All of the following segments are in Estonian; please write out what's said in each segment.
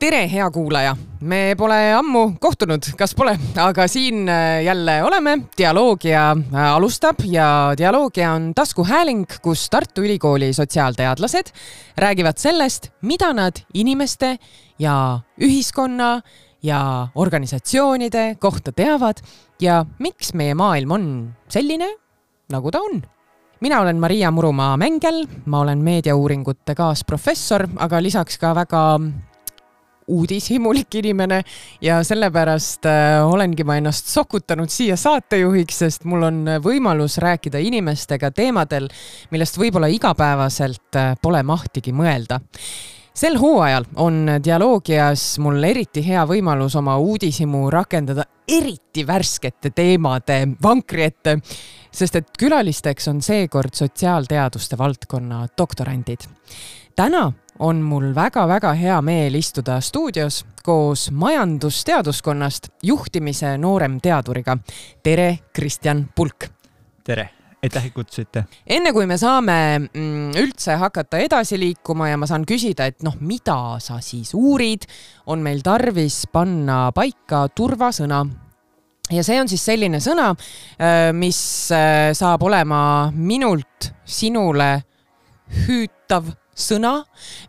Tere, hea kuulaja! Me pole ammu kohtunud, kas pole, aga siin jälle oleme. Dialoogia alustab ja Dialoogia on taskuhääling, kus Tartu Ülikooli sotsiaalteadlased räägivad sellest, mida nad inimeste ja ühiskonna ja organisatsioonide kohta teavad ja miks meie maailm on selline, nagu ta on. Mina olen Maria Murumaa-Mängel, ma olen meediauuringute kaasprofessor, aga lisaks ka väga uudishimulik inimene ja sellepärast olengi ma ennast sokutanud siia saatejuhiks, sest mul on võimalus rääkida inimestega teemadel, millest võib-olla igapäevaselt pole mahtigi mõelda. Sel hooajal on Dialoogias mul eriti hea võimalus oma uudishimu rakendada eriti värskete teemade vankri ette, sest et külalisteks on seekord sotsiaalteaduste valdkonna doktorandid. Täna on mul väga-väga hea meel istuda stuudios koos majandusteaduskonnast juhtimise noorem teaduriga. Tere, Kristjan Pulk! Tere, aitäh kutsusite. Enne kui me saame üldse hakata edasi liikuma ja ma saan küsida, et mida sa siis uurid, on meil tarvis panna paika turvasõna. Ja see on siis selline sõna, mis saab olema minult sinule hüütav sõna,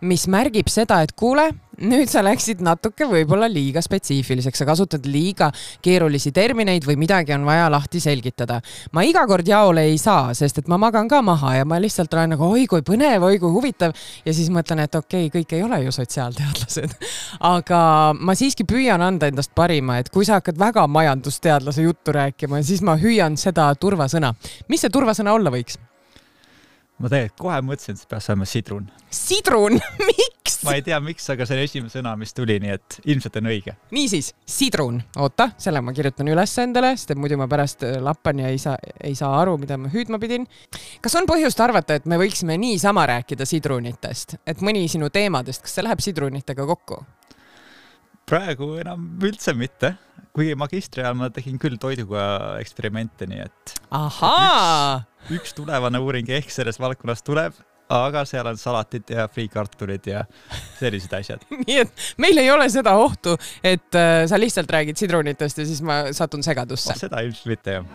mis märgib seda, et kuule, nüüd sa läksid natuke võib-olla liiga spetsiifiliseks, sa kasutad liiga keerulisi termineid või midagi on vaja lahti selgitada. Ma iga kord jaole ei saa, sest et ma magan ka maha ja ma lihtsalt olen nagu oi kui põnev, oi kui huvitav ja siis mõtlen, et okei, kõik ei ole ju sotsiaalteadlased. Aga ma siiski püüan anda endast parima, et kui sa hakkad väga majandusteadlase juttu rääkima, siis ma hüüan seda turvasõna. Mis see turvasõna olla võiks? Ma tegelikult kohe mõtlesin, et see peaks olema sidrun. Sidrun? Miks? Ma ei tea miks, aga see on esimene sõna, mis tuli, nii et ilmselt on õige. Niisiis, sidrun. Oota, selle ma kirjutan üles endale, sest muidu ma pärast lappan ja ei saa aru, mida ma hüüdma pidin. Kas on põhjust arvata, et me võiksime niisama rääkida sidrunitest? Et mõni sinu teemadest, kas see läheb sidrunitega kokku? Praegu enam üldse mitte. Kuigi magistri ajal ma tegin küll toiduga eksperimente, nii et üks tulevane uuring ehk selles valdkonnas tuleb, aga seal on salatid ja friikartulid ja sellised asjad. Nii et meil ei ole seda ohtu, et sa lihtsalt räägid sidrunitest ja siis ma satun segadusse. Seda ilmselt mitte, jah.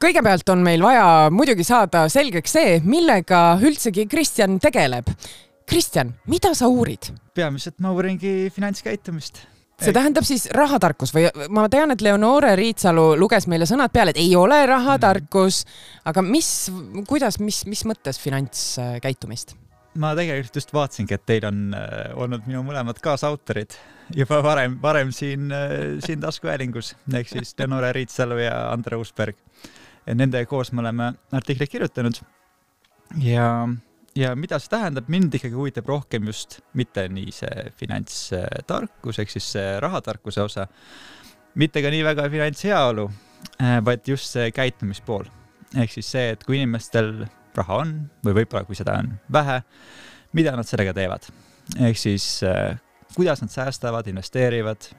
Kõigepealt on meil vaja muidugi saada selgeks see, millega üldsegi Kristjan tegeleb. Kristjan, mida sa uurid? Peamiselt ma uuringi finantskäitumist. See tähendab siis rahatarkus või ma tean, et Leonore Riitsalu luges meile sõnad peale, et ei ole rahatarkus, aga mis mõttes finantskäitumist? Ma tegelikult just vaatasingi, et teil on olnud minu mõlemad kaasautorid juba varem siin taskuhäälingus, ehk siis Leonore Riitsalu ja Andre Uusberg. Nende koos me oleme artikleid kirjutanud ja mida see tähendab, mind ikkagi huvitab rohkem just mitte nii see finantstarkus, ehk siis see rahatarkuse osa, mitte ka nii väga finantsheaolu, vaid just see käitumispool. Ehk siis see, et kui inimestel raha on või võib-olla kui seda on vähe, mida nad sellega teevad. Ehk siis kuidas nad säästavad, investeerivad,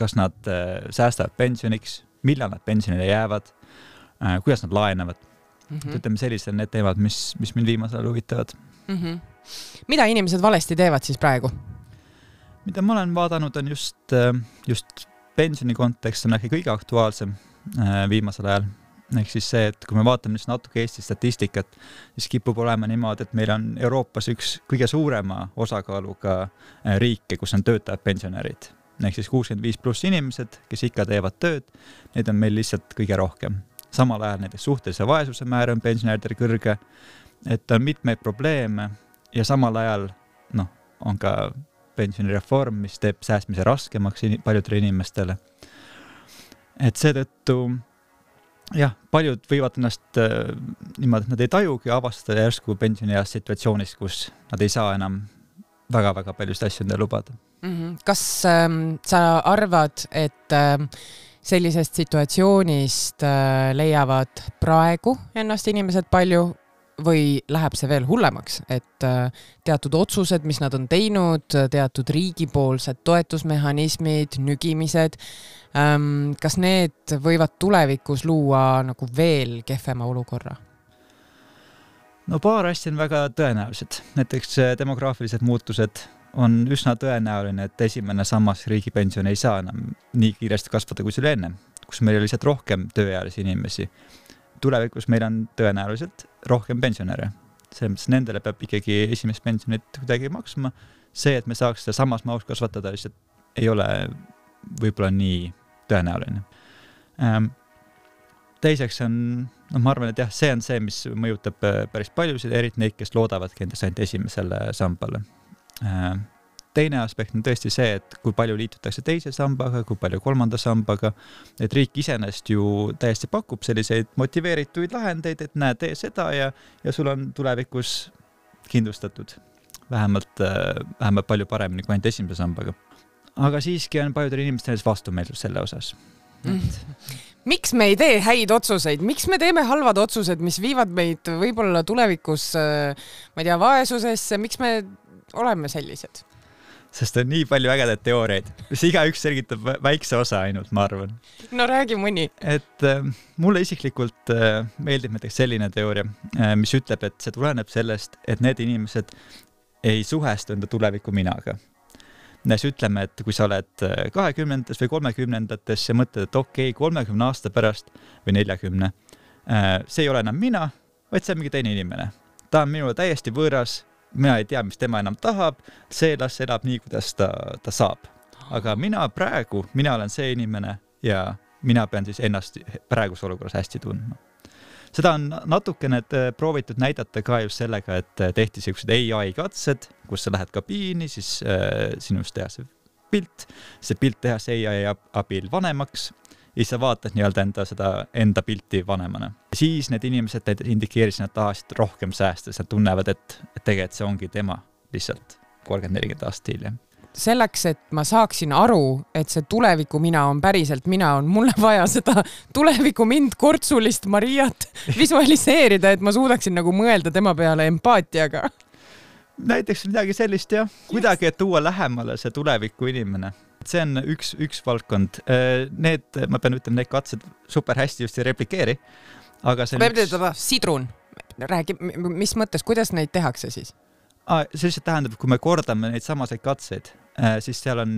kas nad säästavad pensioniks, millal nad pensionile jäävad, kuidas nad laenavad. Ütleme sellised need teemad, mis mind viimasel huvitavad. Mida inimesed valesti teevad siis praegu? Mida ma olen vaadanud on just pensioni kontekst on äkki kõige aktuaalsem viimasel ajal. Ehk siis see, et kui me vaatame natuke Eesti statistikat, siis kipub olema niimoodi, et meil on Euroopas üks kõige suurema osakaaluga riike, kus on töötajad pensionärid. Ehk siis 65+ inimesed, kes ikka teevad tööd, need on meil lihtsalt kõige rohkem. Samal ajal näiteks suhtelise vaesuse määr on pensionäridel kõrge, et on mitmeid probleeme ja samal ajal on ka pensionireform, mis teeb säästmise raskemaks paljudele inimestele. Et seetõttu paljud võivad ennast niimoodi, et nad ei tajugi avastada järsku pensionieas situatsioonis, kus nad ei saa enam väga-väga paljust asju endale lubada. Kas sa arvad, et sellisest situatsioonist leiavad praegu ennast inimesed palju või läheb see veel hullemaks, et teatud otsused, mis nad on teinud, teatud riigipoolsed toetusmehhanismid, nügimised, kas need võivad tulevikus luua nagu veel kehvema olukorra? No paar asja on väga tõenäolised. Näiteks demograafilised muutused on üsna tõenäoline, et esimene sammas riigipension ei saa enam nii kiiresti kasvada, kui see oli enne, kus meil oli lihtsalt rohkem tööealisi inimesi. Tulevikus meil on tõenäoliselt rohkem pensionäre. Selles mõttes nendele peab ikkagi esimest pensionit kuidagi maksma. See, et me saaks seda samas mahus kasvatada, lihtsalt ei ole võib-olla nii tõenäoline. Teiseks on, ma arvan, et jah, see on see, mis mõjutab päris paljusid, eriti neid, kes loodavadki endast ainult esimesele sambale. Teine aspekt on tõesti see, et kui palju liitutakse teise sambaga, kui palju kolmanda sambaga, et riik iseenesest ju täiesti pakub selliseid motiveerituid lahendeid, et näe, tee seda ja sul on tulevikus kindlustatud vähemalt palju paremini kui ainult esimese sambaga. Aga siiski on paljudel inimestel vastumeelsus selle osas. Miks me ei tee häid otsuseid? Miks me teeme halvad otsused, mis viivad meid võib-olla tulevikus, ma ei tea, vaesusesse? Miks me oleme sellised? Sest on nii palju ägedaid teooriaid, mis igaüks selgitab väikse osa ainult, ma arvan. No räägi mõni. Et mulle isiklikult meeldib näiteks selline teooria, mis ütleb, et see tuleneb sellest, et need inimesed ei suhestu enda tuleviku minaga. Näes ütleme, et kui sa oled 20. või 30. ja mõtled, et okei, 30 aasta pärast või 40, see ei ole enam mina, vaid see on mingi teine inimene. Ta on minule täiesti võõras, mina ei tea, mis tema enam tahab, see elab nii, kuidas ta saab. Aga mina olen see inimene ja mina pean siis ennast praeguse olukorras hästi tundma. Seda on natukene proovitud näidata ka just sellega, et tehti sellised AI-katsed, kus sa lähed kabiini, siis sinust teha see pilt tehas AI abil vanemaks ja sa vaatad enda pilti vanemana. Siis need inimesed indikeerisid, nad tahasid rohkem säästa, nad tunnevad, et tegelikult see ongi tema lihtsalt 30-40 aastat hiljem. Selleks, et ma saaksin aru, et see tuleviku mina on päriselt mina, on mulle vaja seda tuleviku mind kortsulist Mariat visualiseerida, et ma suudaksin nagu mõelda tema peale empaatiaga. Näiteks midagi sellist, jah. Kuidagi, et tuua lähemale see tuleviku inimene. See on üks valdkond. Ma pean ütlema, need katsed super hästi just ei replikeeri. Aga see on Sidrun. Räägi, mis mõttes, kuidas neid tehakse siis? See lihtsalt tähendab, kui me kordame neid samaseid katseid, siis seal on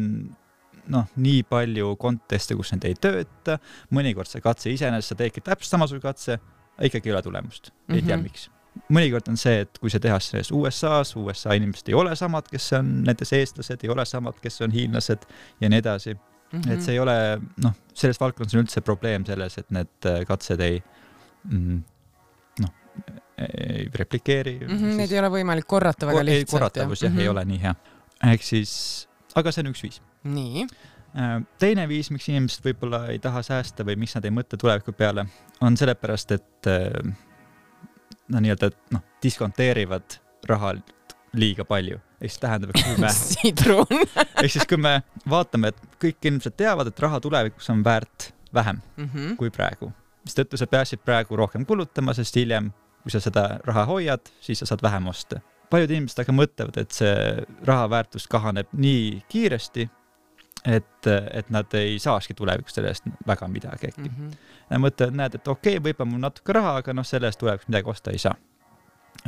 nii palju konteste, kus need ei tööta, mõnikord see katse iseenesest, sa teedki täpselt samasugune katse, ikkagi ei ole tulemust. Ei tea miks. Mõnikord on see, et kui see tehas selles USA inimesed ei ole samad, kes on nendes eestlased, ei ole samad, kes on hiinlased ja nii edasi. Et see ei ole, selles valdkonnas on üldse probleem selles, et need katsed ei replikeeri. Need ei ole võimalik korrata väga lihtsalt. Korratavus ei ole nii hea. Ehk siis, aga see on üks viis. Nii. Teine viis, miks inimesed võib-olla ei taha säästa või miks nad ei mõtle tuleviku peale, on sellepärast, et diskonteerivad raha liiga palju. Ehk siis tähendab, et kui me Sidrun. Ehk siis kui me vaatame, et kõik inimesed teavad, et raha tulevikus on väärt vähem kui praegu. Mis tõttu sa peaksid praegu rohkem kulutama, sest hiljem kui sa seda raha hoiad, siis sa saad vähem osta. Paljud inimesed aga mõtlevad, et see raha väärtus kahaneb nii kiiresti, et nad ei saaski tulevikus sellest väga midagi äkki. Mõtlevad, näed, et okei, võib-olla mul natuke raha, aga sellest tulevikus midagi osta ei saa.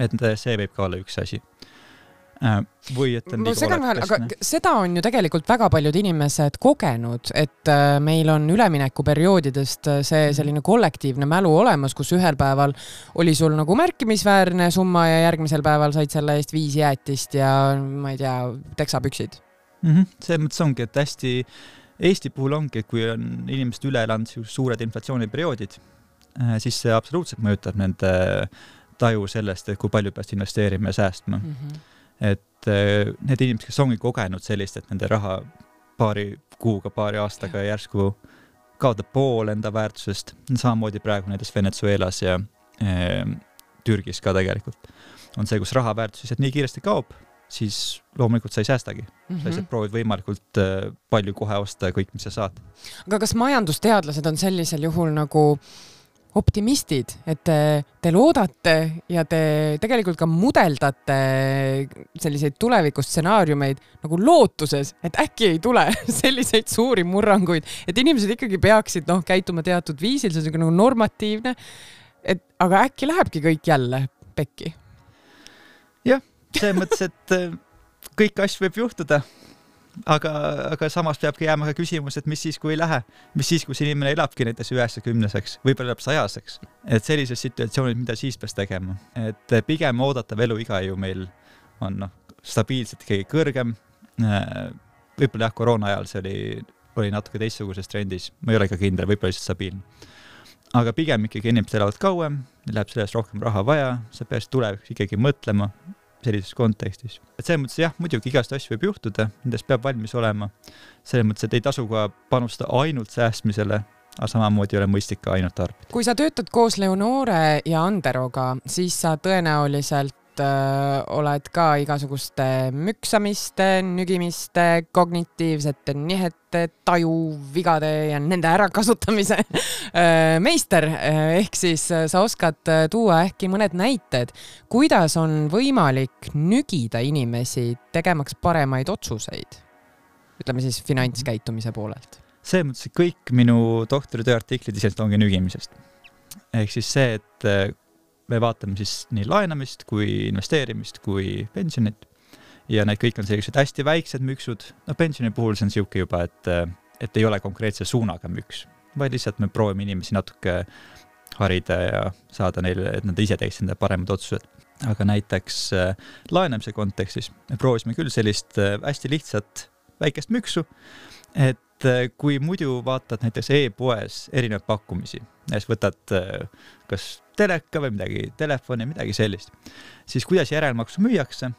Et see võib ka olla üks asi. Või et on aga seda on ju tegelikult väga paljud inimesed kogenud, et meil on üleminekuperioodidest see selline kollektiivne mälu olemas, kus ühel päeval oli sul nagu märkimisväärne summa ja järgmisel päeval said selle eest 5 jäätist ja ma ei tea, teksapüksid. See mõttes ongi, et hästi Eesti puhul ongi, et kui on inimesed üle elanud suured inflatsiooniperioodid, siis see absoluutselt mõjutab nende taju sellest, et kui palju peast investeerima ja säästma. Et need inimesed, kes ongi kogenud sellist, et nende raha paari kuuga, paari aastaga järsku kaotab pool enda väärtusest, samamoodi praegu näiteks Venezuelas ja Türgis ka tegelikult, on see, kus raha väärtus lihtsalt nii kiiresti kaob, siis loomulikult sa ei säästagi. Sa lihtsalt proovid võimalikult palju kohe osta kõik, mis sa saad. Aga kas majandusteadlased on sellisel juhul nagu optimistid, et te loodate ja te tegelikult ka mudeldate selliseid tulevikustsenaariumeid nagu lootuses, et äkki ei tule selliseid suuri murranguid, et inimesed ikkagi peaksid käituma teatud viisil, see on nagu normatiivne, aga äkki lähebki kõik jälle pekki? see mõttes, et kõik asju võib juhtuda, aga samas peabki jääma ka küsimus, et mis siis, kui ei lähe, mis siis, kui see inimene elabki näiteks 90-seks, võib-olla elab 100-seks, et sellises situatsioonis, mida siis peaks tegema, et pigem oodatav eluiga ju meil on stabiilselt ikkagi kõrgem, võib-olla jah, koroona ajal see oli natuke teistsuguses trendis, ma ei ole ka kindel, võib-olla lihtsalt stabiilne. Aga pigem ikkagi inimesed elavad kauem, läheb sellest rohkem raha vaja, sa peaks tulevikus ikkagi mõtlema sellises kontekstis. Et selles mõttes jah, muidugi igast asju võib juhtuda, nendest peab valmis olema. Selles mõttes, et ei tasu ka panustada ainult säästmisele, aga samamoodi ei ole mõistlik ka ainult tarbida. Kui sa töötad koos Leonore ja Anderoga, siis sa tõenäoliselt oled ka igasuguste müksamiste, nügimiste, kognitiivsete nihete, tajuvigade ja nende ärakasutamise meister. Ehk siis sa oskad tuua äkki mõned näited, kuidas on võimalik nügida inimesi tegemaks paremaid otsuseid, ütleme siis finantskäitumise poolelt. See mõttes, et kõik minu doktoritöö artiklid isest ongi nügimisest. Ehk siis see, et me vaatame siis nii laenamist kui investeerimist kui pensionit ja need kõik on sellised hästi väiksed müksud. Pensioni puhul see on siuke juba, et ei ole konkreetse suunaga müks, vaid lihtsalt me proovime inimesi natuke harida ja saada neile, et nad ise teeks enda paremad otsused. Aga näiteks laenamise kontekstis me proovisime küll sellist hästi lihtsat väikest müksu, et kui muidu vaatad näiteks e-poes erinevaid pakkumisi, näiteks võtad kas teleka või midagi, telefoni, midagi sellist, siis kuidas järelmaksu müüakse,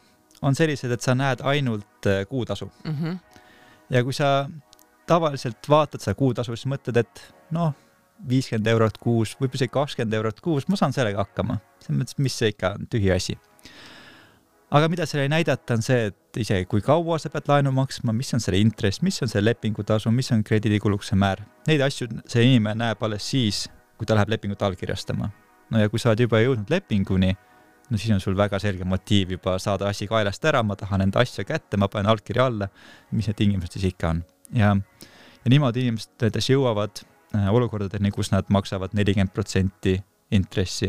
on sellised, et sa näed ainult kuutasu. Ja kui sa tavaliselt vaatad seda kuutasu, siis mõtled, et 50 eurot kuus, võib isegi 20 eurot kuus, ma saan sellega hakkama. See mõttes, mis see ikka on tühi asi. Aga mida selle ei näidata on see, et isegi kui kaua sa pead laenu maksma, mis on selle intress, mis on selle lepingutasu, mis on krediidikulukse määr. Neid asju see inimene näeb alles siis, kui ta läheb lepingut allkirjastama. Ja kui sa oled juba jõudnud lepinguni, siis on sul väga selge motiiv juba saada asi kaelast ära, ma tahan enda asja kätte, ma panen allkirja alla, mis need tingimused siis ikka on. Ja niimoodi inimesed jõuavad olukordadeni, kus nad maksavad 40% intressi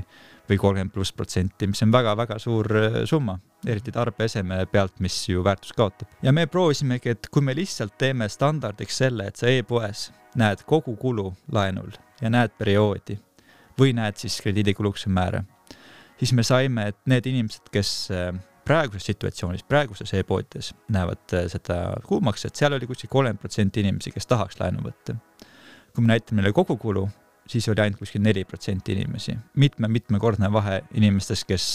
või 30+%, mis on väga-väga suur summa, eriti tarbeeseme pealt, mis ju väärtus kaotab. Ja me proovisimegi, et kui me lihtsalt teeme standardiks selle, et sa e-poes näed kogu kulu laenul ja näed perioodi või näed siis krediidikulukse määra, siis me saime, et need inimesed, kes praeguses situatsioonis, praeguses e-poodides näevad seda kuumakset, seal oli kuskil 30% inimesi, kes tahaks laenu võtta. Kui me näitame neile kogu kulu, siis oli ainult kuskil 4% inimesi. Mitmekordne vahe inimestest, kes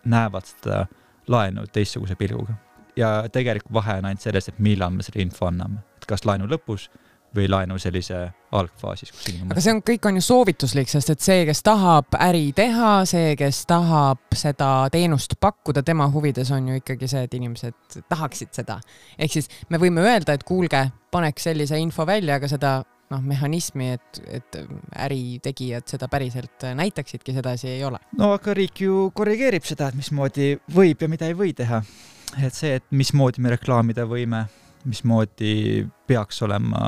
näevad seda laenu teistsuguse pilguga. Ja tegelikult vahe on ainult selles, et millal me selle info anname. Et kas laenu lõpus või laenu sellise algfaasis. Aga see kõik on ju soovituslik, sest et see, kes tahab äri teha, see, kes tahab seda teenust pakkuda, tema huvides on ju ikkagi see, et inimesed tahaksid seda. Ehk siis me võime öelda, et kuulge, paneks sellise info välja, aga seda mehhanismi, et äritegijad seda päriselt näitaksidki, sedasi ei ole. Aga riik ju korrigeerib seda, et mismoodi võib ja mida ei või teha. Et see, et mismoodi me reklaamida võime, mismoodi peaks olema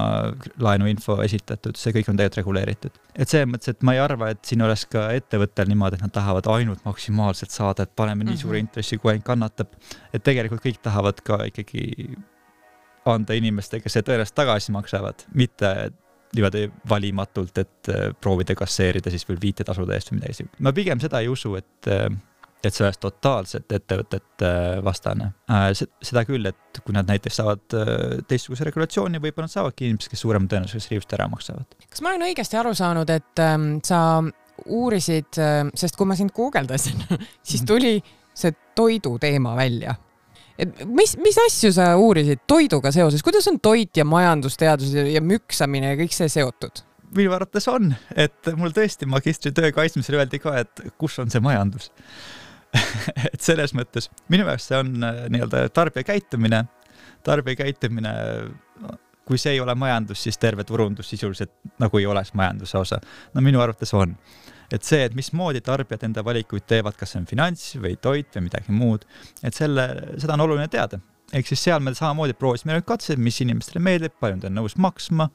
laenuinfo esitatud, see kõik on tegelikult reguleeritud. Et see mõttes, et ma ei arva, et siin oleks ka ettevõttel niimoodi, et nad tahavad ainult maksimaalselt saada, et paneme nii suure intressi, kui ainult kannatab. Et tegelikult kõik tahavad ka ikkagi anda inimestega, kes see tõenäoliselt tagasi maksavad, mitte niimoodi valimatult, et proovida kasseerida siis veel viitetasude eest või midagi. Ma pigem seda ei usu, et see oleks totaalselt ettevõtet vastane. Seda küll, et kui nad näiteks saavad teistsuguse regulatsiooni, võib-olla nad saavadki inimesed, kes suurema tõenäosusega riivust ära maksavad. Kas ma olen õigesti aru saanud, et sa uurisid, sest kui ma sind guugeldasin, siis tuli see toidu teema välja. Mis asju sa uurisid toiduga seoses? Kuidas on toit ja majandusteadus ja müksamine ja kõik see seotud? Minu arvates on, et mul tõesti magistritöö kaitsmisel öeldi ka, et kus on see majandus. Et selles mõttes, minu jaoks see on nii-öelda tarbija käitumine, kui see ei ole majandus, siis terve turundus sisuliselt nagu ei oleks majanduse osa. Minu arvates on. Et see, et mismoodi tarbijad enda valikuid teevad, kas see on finants või toit või midagi muud, et seda on oluline teada. Ehk siis seal me samamoodi proovisime katsed, mis inimestele meeldib, palju nad on nõus maksma,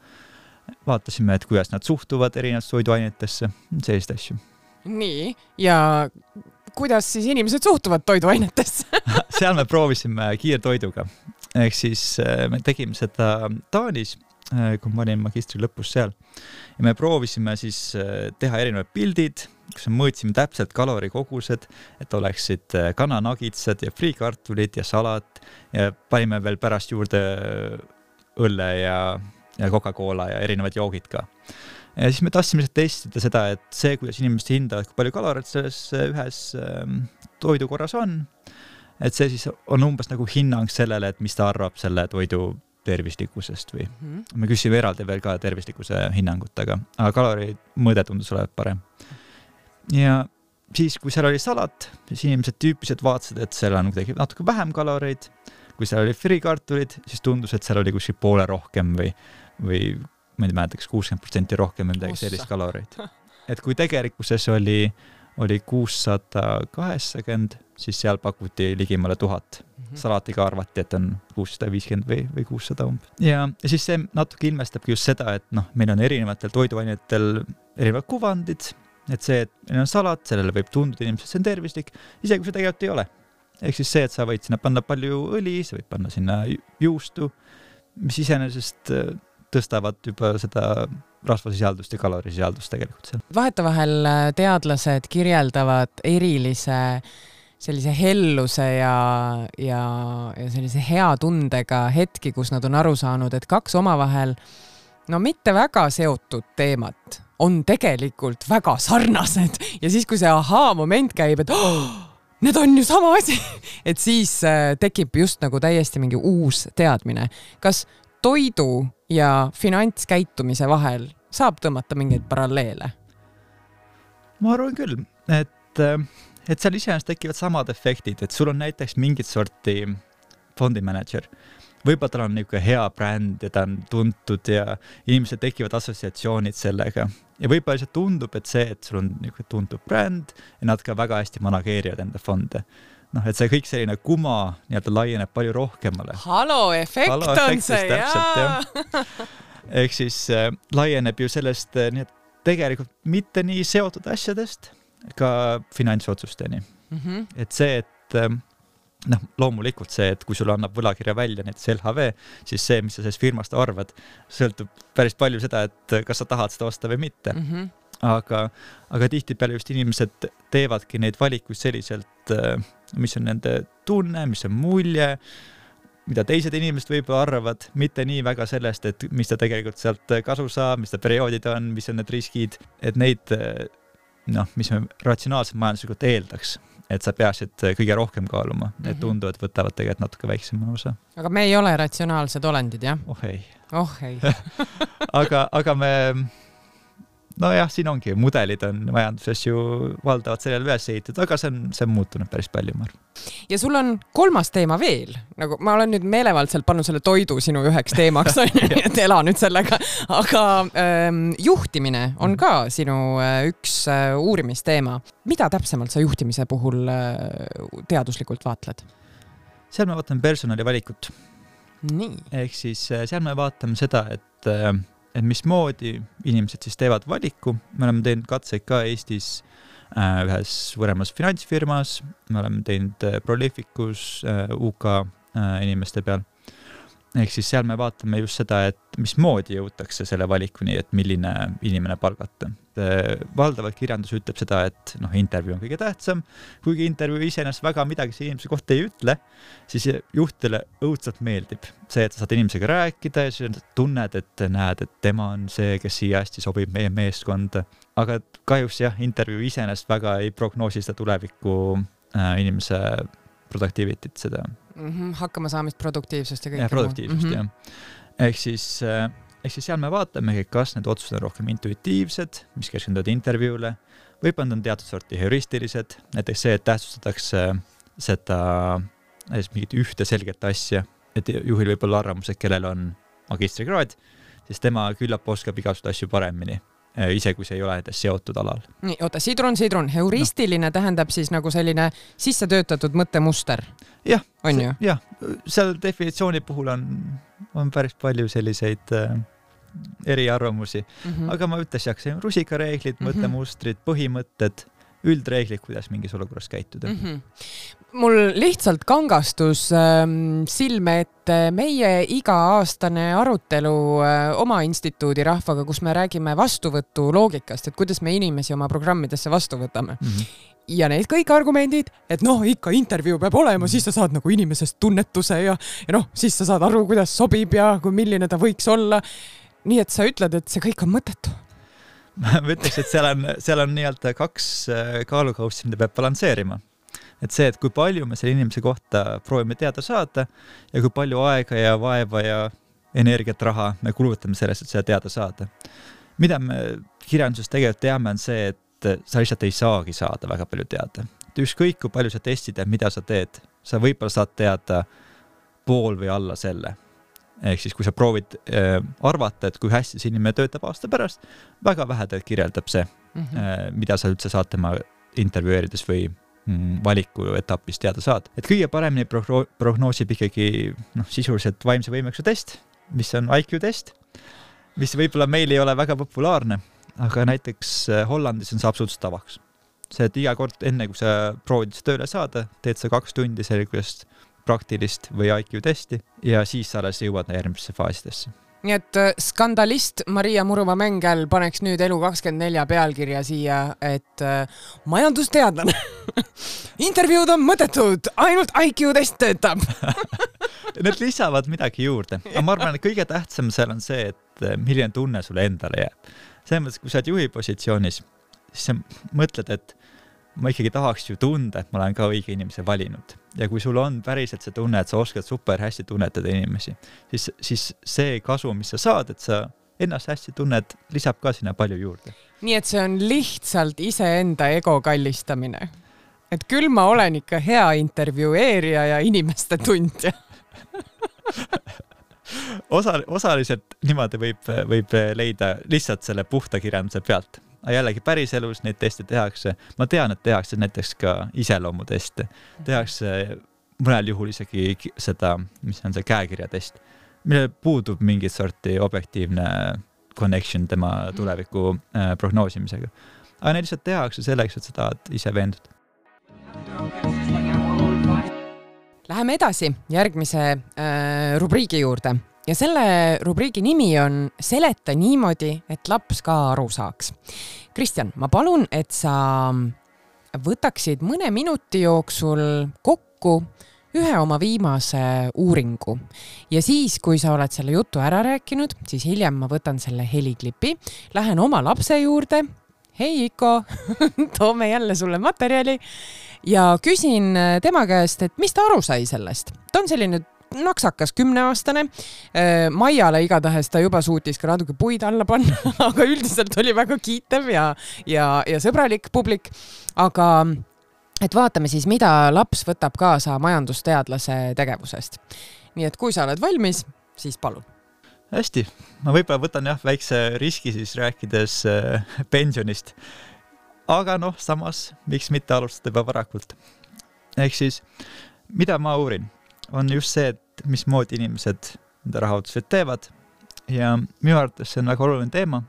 vaatasime, et kuidas nad suhtuvad erinevad toiduainetesse, sellist asju. Nii, ja kuidas siis inimesed suhtuvad toiduainetesse? Seal me proovisime kiirtoiduga. Ehk siis me tegime seda Taanis, kui ma olin magistri lõpus seal. Ja me proovisime siis teha erinevad pildid, kus me mõõtsime täpselt kalorikogused, et oleksid kananagitsad ja friikartulid ja salat ja panime veel pärast juurde õlle ja Coca-Cola ja erinevad joogid ka. Ja siis me tahtsime testida seda, et see, kuidas inimesed hindavad, kui palju kaloreid selles ühes toidukorras on, et see siis on umbes nagu hinnang sellele, et mis ta arvab selle toidu tervislikkusest või me küsime eraldi veel ka tervislikkuse hinnangut, aga kalori mõõde tundus olevat parem. Ja siis, kui seal oli salat, siis inimesed tüüpiliselt vaatasid, et seal on natuke vähem kaloreid. Kui seal oli friikartulid, siis tundus, et seal oli kuskil poole rohkem või ma ei mäletaks 60% rohkem või midagi sellist kaloreid. Et kui tegelikkuses oli 680, siis seal pakuti ligimale 1000. Salatiga arvati, et on 650 või 600 umbes. Ja siis see natuke ilmestabki just seda, et meil on erinevatel toiduainetel erinevad kuvandid, et see, et meil on salat, sellele võib tunduda inimesed, see on tervislik, isegi kui see tegelikult ei ole. Ehk siis see, et sa võid sinna panna palju õli, sa võid panna sinna juustu, mis iseenesest tõstavad juba seda rasvasisaldust ja kalorisisaldust tegelikult seal. Vahetevahel teadlased kirjeldavad erilise sellise helluse ja sellise hea tundega hetki, kus nad on aru saanud, et kaks omavahel mitte väga seotud teemat on tegelikult väga sarnased ja siis, kui see moment käib, et need on ju sama asi, et siis tekib just nagu täiesti mingi uus teadmine. Kas toidu ja finantskäitumise vahel saab tõmmata mingeid paralleele? Ma arvan küll, et seal iseenesest tekivad samad efektid, et sul on näiteks mingit sorti fondimanager. Võib-olla tal on niisugune hea bränd ja ta on tuntud ja inimesed tekivad assotsiatsioonid sellega. Ja võib-olla lihtsalt tundub, et see, et sul on niisugune tuntud bränd ja nad ka väga hästi manageerivad enda fonde. Et see kõik selline kuma laieneb palju rohkemale. Halo-efekt on see, jaa! Ehk siis laieneb ju sellest tegelikult mitte nii seotud asjadest ka finantsotsusteni. Et see, et loomulikult see, et kui sulle annab võlakirja välja näiteks LHV, siis see, mis sa sellest firmast arvad, sõltub päris palju seda, et kas sa tahad seda osta või mitte. Aga tihtipeale just inimesed teevadki neid valikuid selliselt, mis on nende tunne, mis on mulje, mida teised inimesed võib-olla arvavad, mitte nii väga sellest, et mis ta tegelikult sealt kasu saab, mis ta perioodid on, mis on need riskid, et neid mis me ratsionaalselt majanduslikult eeldaks, et sa peaksid kõige rohkem kaaluma. Need tunduvad võtavad tegelikult natuke väiksema osa. Aga me ei ole ratsionaalsed olendid, jah? Oh ei. Aga me siin ongi, mudelid on majanduses ju valdavad sellele üles ehitatud, aga see on muutunud päris palju, ma arvan. Ja sul on kolmas teema veel, nagu ma olen nüüd meelevaldselt pannud selle toidu sinu üheks teemaks, et ela nüüd sellega, aga juhtimine on ka sinu üks uurimisteema. Mida täpsemalt sa juhtimise puhul teaduslikult vaatled? Seal me vaatame personali valikut. Nii. Ehk siis seal me vaatame seda, et mismoodi inimesed siis teevad valiku. Me oleme teinud katseid ka Eestis ühes võremas finantsfirmas, me oleme teinud Prolificus UK inimeste peal. Ehk siis seal me vaatame just seda, et mismoodi jõutakse selle valikuni, et milline inimene palgata. Valdavalt kirjandus ütleb seda, et intervjuu on kõige tähtsam. Kuigi intervjuu iseenesest väga midagi see inimese kohta ei ütle, siis juhtidele õudselt meeldib see, et sa saad inimesega rääkida ja siis tunned, et näed, et tema on see, kes siia hästi sobib meie meeskonda. Aga kahjuks intervjuu iseenesest väga ei prognoosi seda tuleviku inimese productivity't seda. Hakkama saamist produktiivsust ja kõik. Ja produktiivsust, jah. Ehk siis seal me vaatame, kas need otsused on rohkem intuitiivsed, mis keskenduvad intervjuule, võib-olla on teatud sorti heuristilised, näiteks see, et tähtsustatakse seda mingit ühte selget asja, et juhil võib olla arvamus, et kellel on magistrikraad, siis tema küllap oskab igasuguseid asju paremini, ise kui see ei ole seotud alal. Nii, oota, sidrun. Heuristiline tähendab siis nagu selline sisse töötatud mõttemuster. Jah, on ju? Jah, seal definitsiooni puhul on päris palju selliseid eriarvamusi. Aga ma ütles, rusikareeglid, mõttemustrid, põhimõtted, üldreeglid, kuidas mingis olukorras käituda. Mul lihtsalt kangastus silme ette meie iga-aastane arutelu oma instituudi rahvaga, kus me räägime vastuvõtu loogikast, et kuidas me inimesi oma programmidesse vastu võtame. Ja need kõik argumendid, et ikka intervjuu peab olema, siis sa saad nagu inimesest tunnetuse ja siis sa saad aru, kuidas sobib ja kui milline ta võiks olla. Nii et sa ütled, et see kõik on mõttetu. Ma ütleks, et seal on nii-öelda 2 kaalukaussi, mida peab balansseerima. Et see, et kui palju me selle inimese kohta proovime teada saada ja kui palju aega ja vaeva ja energiat, raha me kulutame sellest, et seda teada saada. Mida me kirjanduses tegelikult teame, on see, et sa lihtsalt ei saagi saada väga palju teada. Ükskõik, kui palju sa testid ja mida sa teed, sa võib-olla saad teada pool või alla selle. Ehk siis, kui sa proovid arvata, et kui hästi see inimene töötab aasta pärast, väga vähe kirjeldab see, mida sa üldse saad tema intervjueerides või valiku etapis teada saad. Et kõige paremini prognoosib ikkagi sisuliselt vaimse võimekuse test, mis on IQ test, mis võib-olla meil ei ole väga populaarne, aga näiteks Hollandis on see absoluutselt tavaks. See, et iga kord enne, kui sa proovid tööle saada, teed sa 2 tundi sellisest praktilist või IQ testi ja siis sa alles jõuad järgmisse faasidesse. Nii et skandalist Maria Muruma-Mengel paneks nüüd Elu24 pealkirja siia, et majandusteadlane. Intervjuud on mõttetud, ainult IQ test töötab. Need lisavad midagi juurde. Aga ma arvan, et kõige tähtsam seal on see, et milline tunne sulle endale jääb. Selles mõttes, kui sa oled juhi positsioonis, siis sa mõtled, et ma ikkagi tahaks ju tunda, et ma olen ka õige inimese valinud. Ja kui sul on päriselt see tunne, et sa oskad super hästi tunnetada inimesi, siis see kasu, mis sa saad, et sa ennast hästi tunned, lisab ka sinna palju juurde. Nii et see on lihtsalt iseenda ego kallistamine. Et küll ma olen ikka hea intervjueerija ja inimeste tundja. Osaliselt niimoodi võib leida lihtsalt selle puhta kirjanduse pealt. Aga jällegi päris elus neid teste tehakse. Ma tean, et tehakse näiteks ka iseloomuteste. Tehakse mõnel juhul isegi seda, mis on see käekirjatest, mille puudub mingit sorti objektiivne connection tema tuleviku prognoosimisega. Aga neid lihtsalt tehakse selleks, et sa tahad ise veenduda. Läheme edasi järgmise rubriigi juurde. Ja selle rubriigi nimi on Seleta niimoodi, et laps ka aru saaks. Kristjan, ma palun, et sa võtaksid mõne minuti jooksul kokku ühe oma viimase uuringu. Ja siis, kui sa oled selle jutu ära rääkinud, siis hiljem ma võtan selle heliklipi, lähen oma lapse juurde, hei Iko, toome jälle sulle materjali ja küsin tema käest, et mis ta aru sai sellest. Ta on selline naksakas 10-aastane. Maiale igatahes ta juba suutis ka natuke puid alla panna, aga üldiselt oli väga kiitev ja sõbralik publik. Aga et vaatame siis, mida laps võtab kaasa majandusteadlase tegevusest. Nii et kui sa oled valmis, siis palun. Hästi. Ma võib-olla võtan väikse riski siis rääkides pensionist. Aga samas, miks mitte alustada juba varakult. Ehk siis, mida ma uurin? On just see, et mismoodi inimesed enda rahaotused teevad ja minu arvates see on väga oluline teema,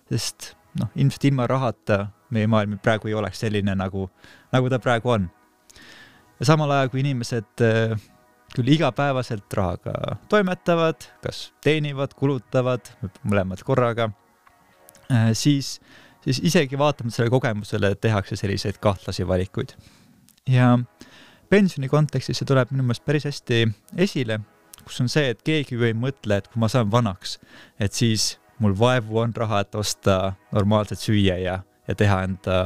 sest ilmselt ilma rahata meie maailm praegu ei oleks selline, nagu ta praegu on. Ja samal ajal, kui inimesed küll igapäevaselt rahaga toimetavad, kas teenivad, kulutavad, mõlemad korraga, siis isegi vaatame selle kogemusele, tehakse selliseid kahtlasi valikuid. Ja pensioni kontekstis see tuleb minu meelest päris hästi esile, kus on see, et keegi ei mõtle, et kui ma saan vanaks, et siis mul vaevu on raha, et osta normaalselt süüa ja teha enda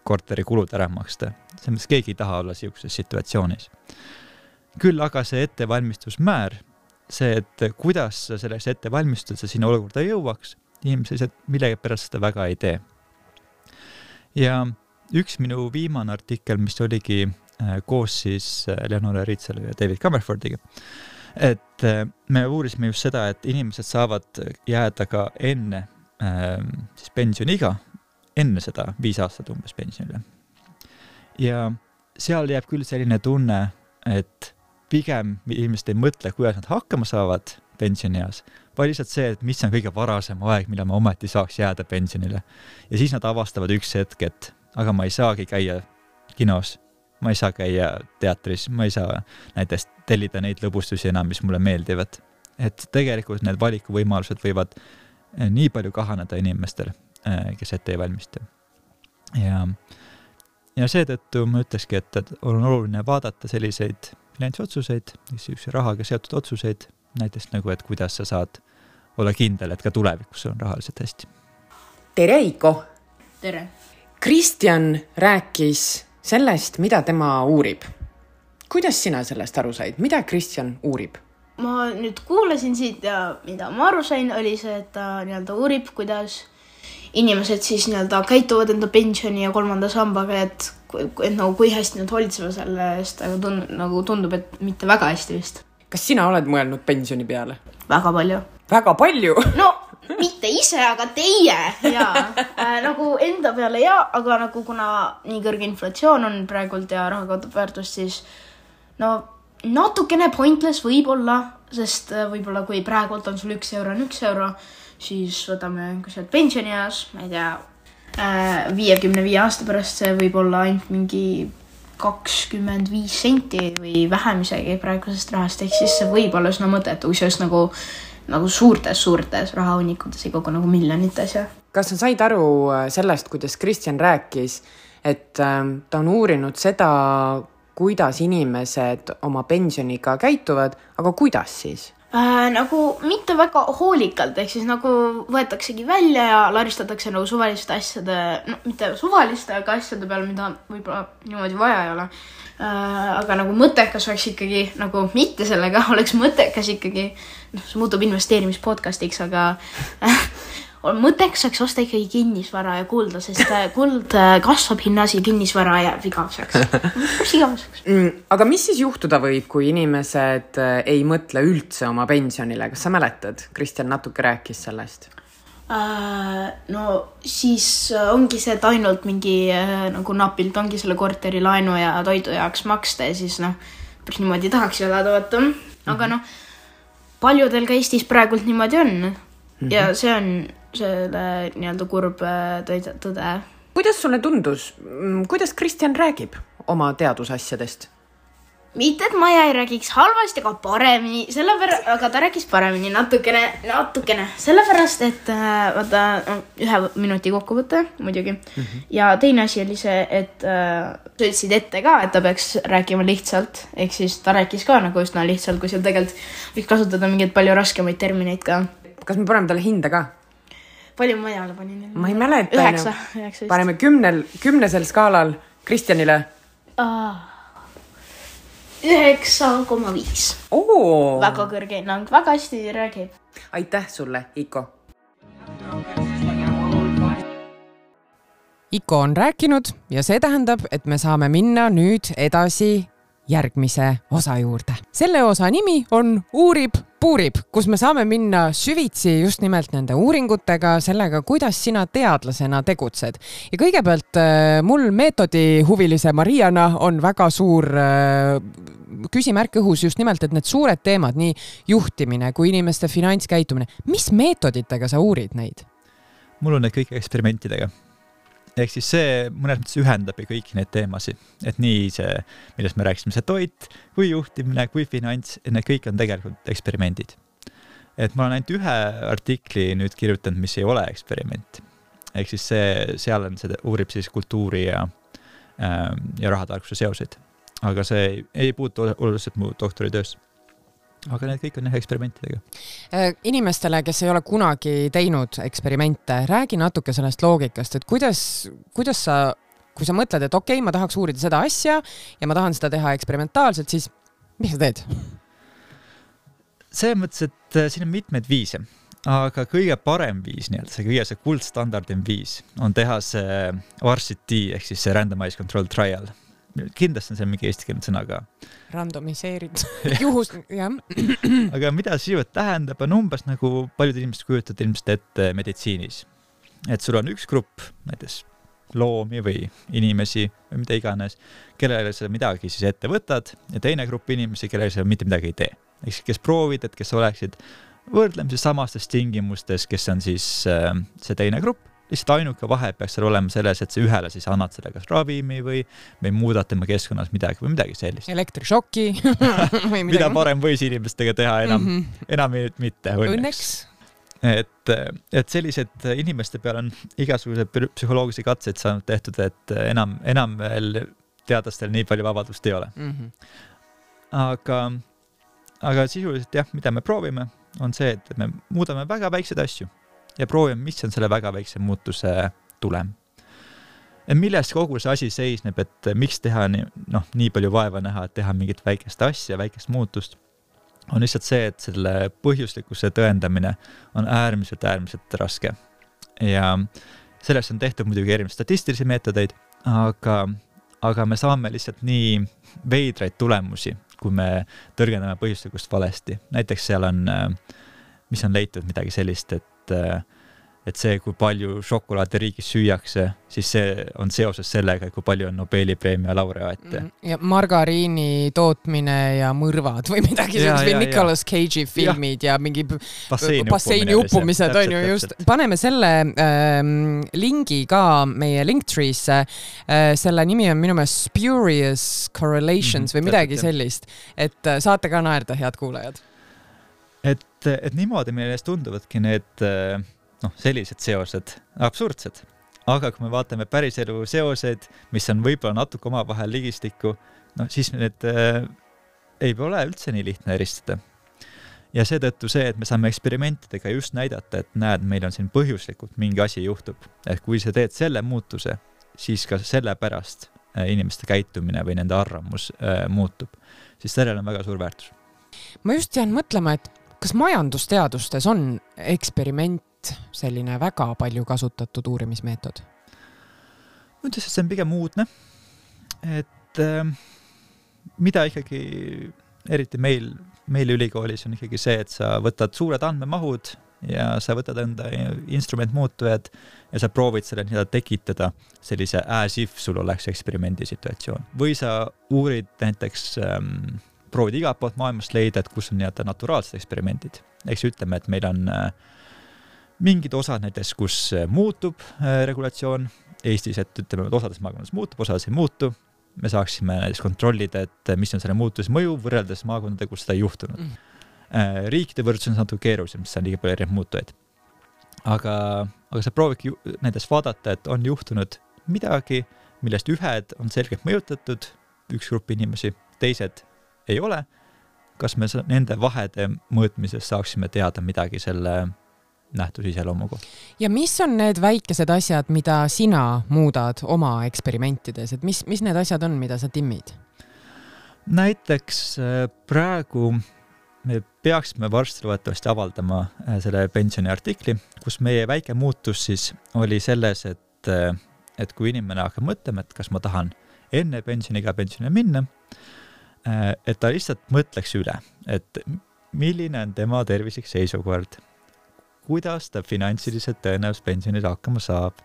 korteri kulud ära maksta. See mõttes keegi ei taha olla siukses situatsioonis. Küll aga see ettevalmistusmäär, see, et kuidas sa selleks ettevalmistud, sa sinna olukorda jõuaks, inimesed millegi pärast seda väga ei tee. Ja üks minu viimane artikkel, mis oligi koos siis Leonora Riitselu ja David Comerfordiga, et me uurisime just seda, et inimesed saavad jääda ka enne siis pensioniga, enne seda 5 aastat umbes pensionile. Ja seal jääb küll selline tunne, et pigem inimesed ei mõtle, kuidas nad hakkama saavad pensionieas, vaid lihtsalt see, et mis on kõige varasem aeg, mille ma ometi saaks jääda pensionile. Ja siis nad avastavad üks hetk, et aga ma ei saagi käia kinos, ma ei saa käia teatris, ma ei saa näiteks tellida neid lõbustusi enam, mis mulle meeldivad. Et tegelikult need valikuvõimalused võivad nii palju kahaneda inimestel, kes ette ei valmista. Ja seetõttu ma ütleski, et on oluline vaadata selliseid finantsotsuseid, rahaga seotud otsuseid, näiteks nagu, et kuidas sa saad olla kindel, et ka tulevikus on rahaliselt hästi. Tere, Iko! Tere! Kristjan rääkis sellest, mida tema uurib. Kuidas sina sellest aru said? Mida Kristjan uurib? Ma nüüd kuulasin siit ja mida ma aru sain, oli see, et ta nii-öelda uurib, kuidas inimesed siis nii-öelda käituvad enda pensioni ja 3. sambaga, et nagu kui hästi nad hoolitsevad selle eest, aga nagu tundub, et mitte väga hästi vist. Kas sina oled mõelnud pensioni peale? Väga palju. Väga palju? No, mitte ise, aga teie. Jaa. Nagu enda peale ja, aga nagu kuna nii kõrge inflatsioon on praegult ja raha kaotab väärtust, siis no natukene pointless võib-olla, sest võib-olla kui praegult on sul 1 euro on 1 euro, siis võtame sealt pensionieas, ma ei tea, 55 aasta pärast see võib olla ainult mingi 25 senti või vähem isegi praegusest rahast, ehk siis see võib olla üsna mõtet, kui see oleks nagu suurtes rahahunnikutes, ei kogu nagu miljonites. Ja. Kas sa said aru sellest, kuidas Kristjan rääkis, et ta on uurinud seda, kuidas inimesed oma pensioniga käituvad, aga kuidas siis? Nagu mitte väga hoolikalt, ehk siis nagu võetaksegi välja ja laristatakse nagu suvaliste asjade, no mitte suvaliste, aga asjade peale, mida võib-olla niimoodi vaja ei ole. Aga nagu mõttekas oleks ikkagi, nagu mitte sellega, oleks mõttekas ikkagi, see muutub investeerimispodcastiks, aga mõttekas oleks osta ikkagi kinnisvara ja kulda, sest kuld kasvab hinnas ja kinnisvara jääb igaveseks. Aga mis siis juhtuda võib, kui inimesed ei mõtle üldse oma pensionile? Kas sa mäletad? Kristjan natuke rääkis sellest. No siis ongi see, et ainult mingi nagu napilt ongi selle korteri laenu ja toidu jaoks maksta ja siis päris niimoodi tahaks elada, vaata. Aga paljudel ka Eestis praegult niimoodi on. Ja see on selle nii-öelda kurb tõde. Kuidas sulle tundus? Kuidas Kristjan räägib oma teadusasjadest? Mitte, et ma ei räägiks halvasti, aga paremini. Aga ta rääkis paremini natukene. Sellepärast, et vaata 1 minuti kokkuvõte muidugi. Ja teine asi oli see, et sa ütlesid ette ka, et ta peaks rääkima lihtsalt. Ehk siis ta rääkis ka nagu üsna lihtsalt, kui seal tegelikult võiks kasutada mingeid palju raskemaid termineid ka. Kas me paneme talle hinde ka? Palju ma ajale panin? Ma ei mäleta. 9. Paneme 10 skaalal Kristjanile. 9,5. Väga kõrge hinnang, väga hästi räägib. Aitäh sulle, Iko. Iko on rääkinud ja see tähendab, et me saame minna nüüd edasi järgmise osa juurde. Selle osa nimi on Uurib-puurib, kus me saame minna süvitsi just nimelt nende uuringutega, sellega, kuidas sina teadlasena tegutsed. Ja kõigepealt mul meetodihuvilise Mariana on väga suur küsimärk õhus just nimelt, et need suured teemad, nii juhtimine kui inimeste finantskäitumine. Mis meetoditega sa uurid neid? Mul on need kõik eksperimentidega. Ehk siis see mõnes mõttes ühendab kõiki neid teemasid, et nii see, millest me rääkisime, see toit, kui juhtimine, kui finants, need kõik on tegelikult eksperimendid. Et ma olen ainult 1 artikli nüüd kirjutanud, mis ei ole eksperiment. Ehk siis seal on see uurib siis kultuuri ja rahatarkuse seoseid. Aga see ei puutu oluliselt mu doktoritöös. Aga need kõik on eksperimentidega. Inimestele, kes ei ole kunagi teinud eksperimente, räägi natuke sellest loogikast, et kuidas sa, kui sa mõtled, et okei, ma tahaks uurida seda asja ja ma tahan seda teha eksperimentaalselt, siis mis sa teed? See mõttes, et siin on mitmeid viise, aga kõige parem viis, see kõige kuldstandardim viis on teha see RCT ehk siis see Randomized Control Trial. Kindlasti on see mingi eestikeelne sõna ka. Randomiseerid. Juhus, jah. Aga mida see tähendab, on umbes nagu paljud inimesed kujutavad ilmselt ette meditsiinis. Et sul on üks grupp, näiteks loomi või inimesi või mida iganes, kellele sa midagi siis ette võtad ja teine grupp inimesi, kellele sa mitte midagi ei tee. Kes proovid, et kes oleksid võrdlemisi samastes tingimustes, kes on siis see teine grupp lihtsalt ainuke vahe peaks seal olema selles, et sa ühele siis annad selle kas ravimi või muudad tema keskkonnas midagi või midagi sellist. Elektrišoki või midagi. Mida parem võis inimestega teha, enam mitte, õnneks. Et sellised inimeste peal on igasugused psühholoogilisi katseid saanud tehtud, et enam veel teadlastel nii palju vabadust ei ole. Aga sisuliselt jah, mida me proovime, on see, et me muudame väga väikseid asju ja proovime, mis on selle väga väikse muutuse tulem. Millest kogu see asi seisneb, et miks teha nii palju vaeva näha, et teha mingit väikest asja, väikest muutust, on lihtsalt see, et selle põhjuslikkuse tõendamine on äärmiselt raske. Ja sellest on tehtud muidugi erinevaid statistilisi meetodeid, aga me saame lihtsalt nii veidraid tulemusi, kui me tõrgendame põhjuslikkust valesti. Näiteks seal on, mis on leitud midagi sellist, et see, kui palju šokolaadi riigis süüakse, siis see on seoses sellega, kui palju on Nobeli preemia laureaate. Ja margariini tootmine ja mõrvad või midagi sellist või Nicolas Cage'i filmid ja mingi basseini uppumised on ju just. Paneme selle lingi ka meie Linktree'sse. Selle nimi on minu meelest Spurious Correlations või midagi sellist. Et saate ka naerda, head kuulajad. Et niimoodi meile tunduvadki need sellised seosed, absurdsed. Aga kui me vaatame päriselu seosed, mis on võib-olla natuke omavahel ligistikku, siis need ei ole üldse nii lihtne eristada. Ja seetõttu see, et me saame eksperimentidega just näidata, et näed, meil on siin põhjuslikult mingi asi juhtub. Et kui sa teed selle muutuse, siis ka selle pärast inimeste käitumine või nende arvamus muutub. Siis sellel on väga suur väärtus. Ma just jään mõtlema, et kas majandusteadustes on eksperiment selline väga palju kasutatud uurimismeetod? Ma ütles, et see on pigem uudne, et mida ikkagi, eriti meil ülikoolis on ikkagi see, et sa võtad suured andmemahud ja sa võtad enda instrumentmuutujad ja sa proovid selle tekitada sellise as if sul oleks eksperimendi situatsioon. Või sa uurid näiteks, proovid igalt poolt maailmast leida, et kus on naturaalsed eksperimendid. Eks ütleme, et meil on mingid osad näiteks, kus muutub regulatsioon Eestis, et ütleme, et osades maakondades muutub, osades ei muutu. Me saaksime näiteks kontrollida, et mis on selle muutuse mõju võrreldes maakondade, kus seda ei juhtunud. Riikide võrdsus on natuke keerulisem, sest on liiga palju erinevaid muutujaid. Aga sa proovidki näiteks vaadata, et on juhtunud midagi, millest ühed on selgelt mõjutatud, üks grupp inimesi, teised ei ole. Kas me nende vahede mõõtmises saaksime teada midagi selle nähtus iseloomuga. Ja mis on need väikesed asjad, mida sina muudad oma eksperimentides? Et mis need asjad on, mida sa timmid? Näiteks praegu me peaksime varsti loodetavasti avaldama selle pensioni artikli, kus meie väike muutus siis oli selles, et kui inimene hakkab mõtlema, et kas ma tahan enne pensioniga pensionile minna, et ta lihtsalt mõtleks üle, et milline on tema tervislik seisukord, kuidas ta finantsiliselt tõenäoliselt pensionil hakkama saab,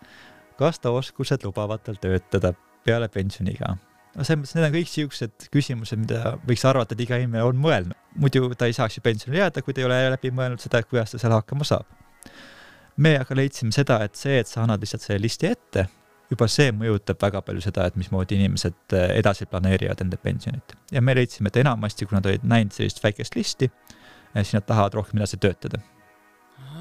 kas ta oskused lubavad tal töötada peale pensioniga. Need on kõik siuksed küsimused, mida võiks arvata, et iga inimene on mõelnud. Muidu ta ei saaks ju pensionil jääda, kui ta ei ole läbi mõelnud seda, kuidas ta seal hakkama saab. Me aga leidsime seda, et sa annad lihtsalt selle listi ette, juba see mõjutab väga palju seda, et mismoodi inimesed edasi planeerivad enda pensionit. Ja me leidsime, et enamasti, kui nad olid näinud sellist väikest listi, siis nad tahavad rohkem edasi töötada.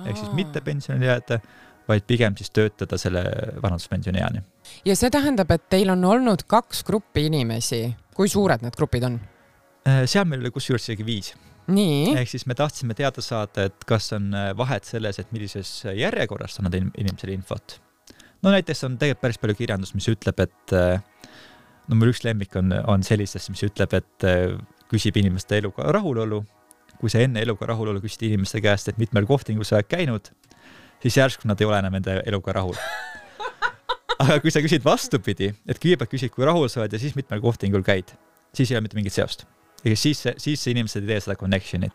Ehk siis mitte pensionile jääda, vaid pigem siis töötada selle vanaduspensioni eani. Ja see tähendab, et teil on olnud 2 gruppi inimesi. Kui suured need grupid on? Seal meil oli kusjuures isegi 5. Nii. Ehk siis me tahtsime teada saada, et kas on vahet selles, et millises järjekorras on nad inimesele infot. Näiteks on tegelikult päris palju kirjandust, mis ütleb, et mul üks lemmik on sellistest, mis ütleb, et küsib inimeste eluga rahulolu. Kui sa enne eluga rahulolu küsid inimeste käest, et mitmel kohtingul sa oled käinud, siis järsku nad ei ole enam enda eluga rahul. Aga kui sa küsid vastupidi, et kõigepealt küsid, kui rahul sa oled ja siis mitmel kohtingul käid, siis ei ole mitte mingit seost. Siis inimesed ei tee seda connectionit.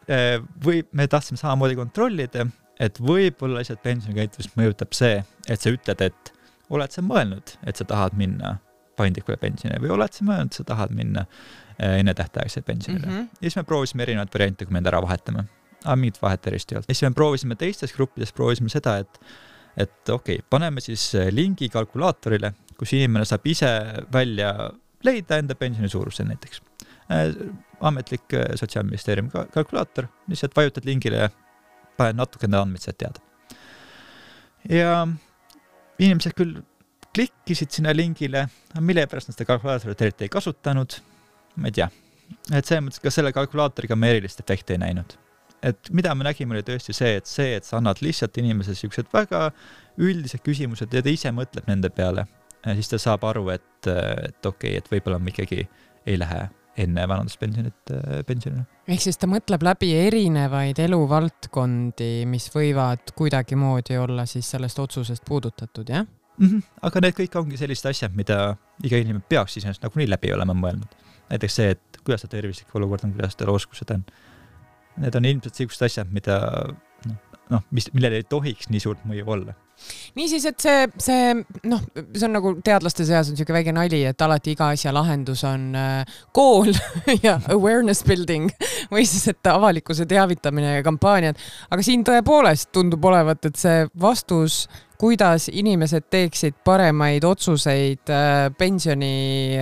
Või me tahtsime samamoodi kontrollida, et võib-olla lihtsalt pensionikäitumist mõjutab see, et sa ütled, et oled sa mõelnud, et sa tahad minna paindlikule pensionile või oled sa mõelnud, et sa tahad minna enne tähtaegse pensionile. Ja siis me proovisime erinevaid variante, kui me end ära vahetame. Aga mingit vahet erist ei olnud. Ja siis me proovisime teistes gruppides, proovisime seda, et okei, paneme siis lingi kalkulaatorile, kus inimene saab ise välja leida enda pensioni suuruse näiteks. Ametlik Sotsiaalministeeriumi kalkulaator, lihtsalt vajutad lingile ja paned natukene andmeid sealt teada. Ja inimesed küll klikkisid sinna lingile, mille pärast nad seda kalkulaatorit eriti ei kasutanud, ma ei tea. Et see mõttes ka selle kalkulaatoriga me erilist efekti ei näinud. Et mida me nägime oli tõesti see, et sa annad lihtsalt inimesele siuksed väga üldised küsimused ja ta ise mõtleb nende peale. Ja siis ta saab aru, et okei, et võib-olla ma ikkagi ei lähe enne vanaduspensionile. Ehk siis ta mõtleb läbi erinevaid eluvaldkondi, mis võivad kuidagi moodi olla siis sellest otsusest puudutatud, jah? Aga need kõik ongi sellised asjad, mida iga inimene peaks siis nagunii läbi olema mõelnud. Näiteks see, et kuidas ta tervislik olukord on, kuidas ta oskused on. Need on ilmselt sellised asjad, millele ei tohiks nii suurt mõju olla. Niisiis, et see on nagu teadlaste seas on selline väike nali, et alati iga asja lahendus on kool ja awareness building või siis, et avalikkuse teavitamine ja kampaaniad. Aga siin tõepoolest tundub olevat, et see vastus, kuidas inimesed teeksid paremaid otsuseid pensioni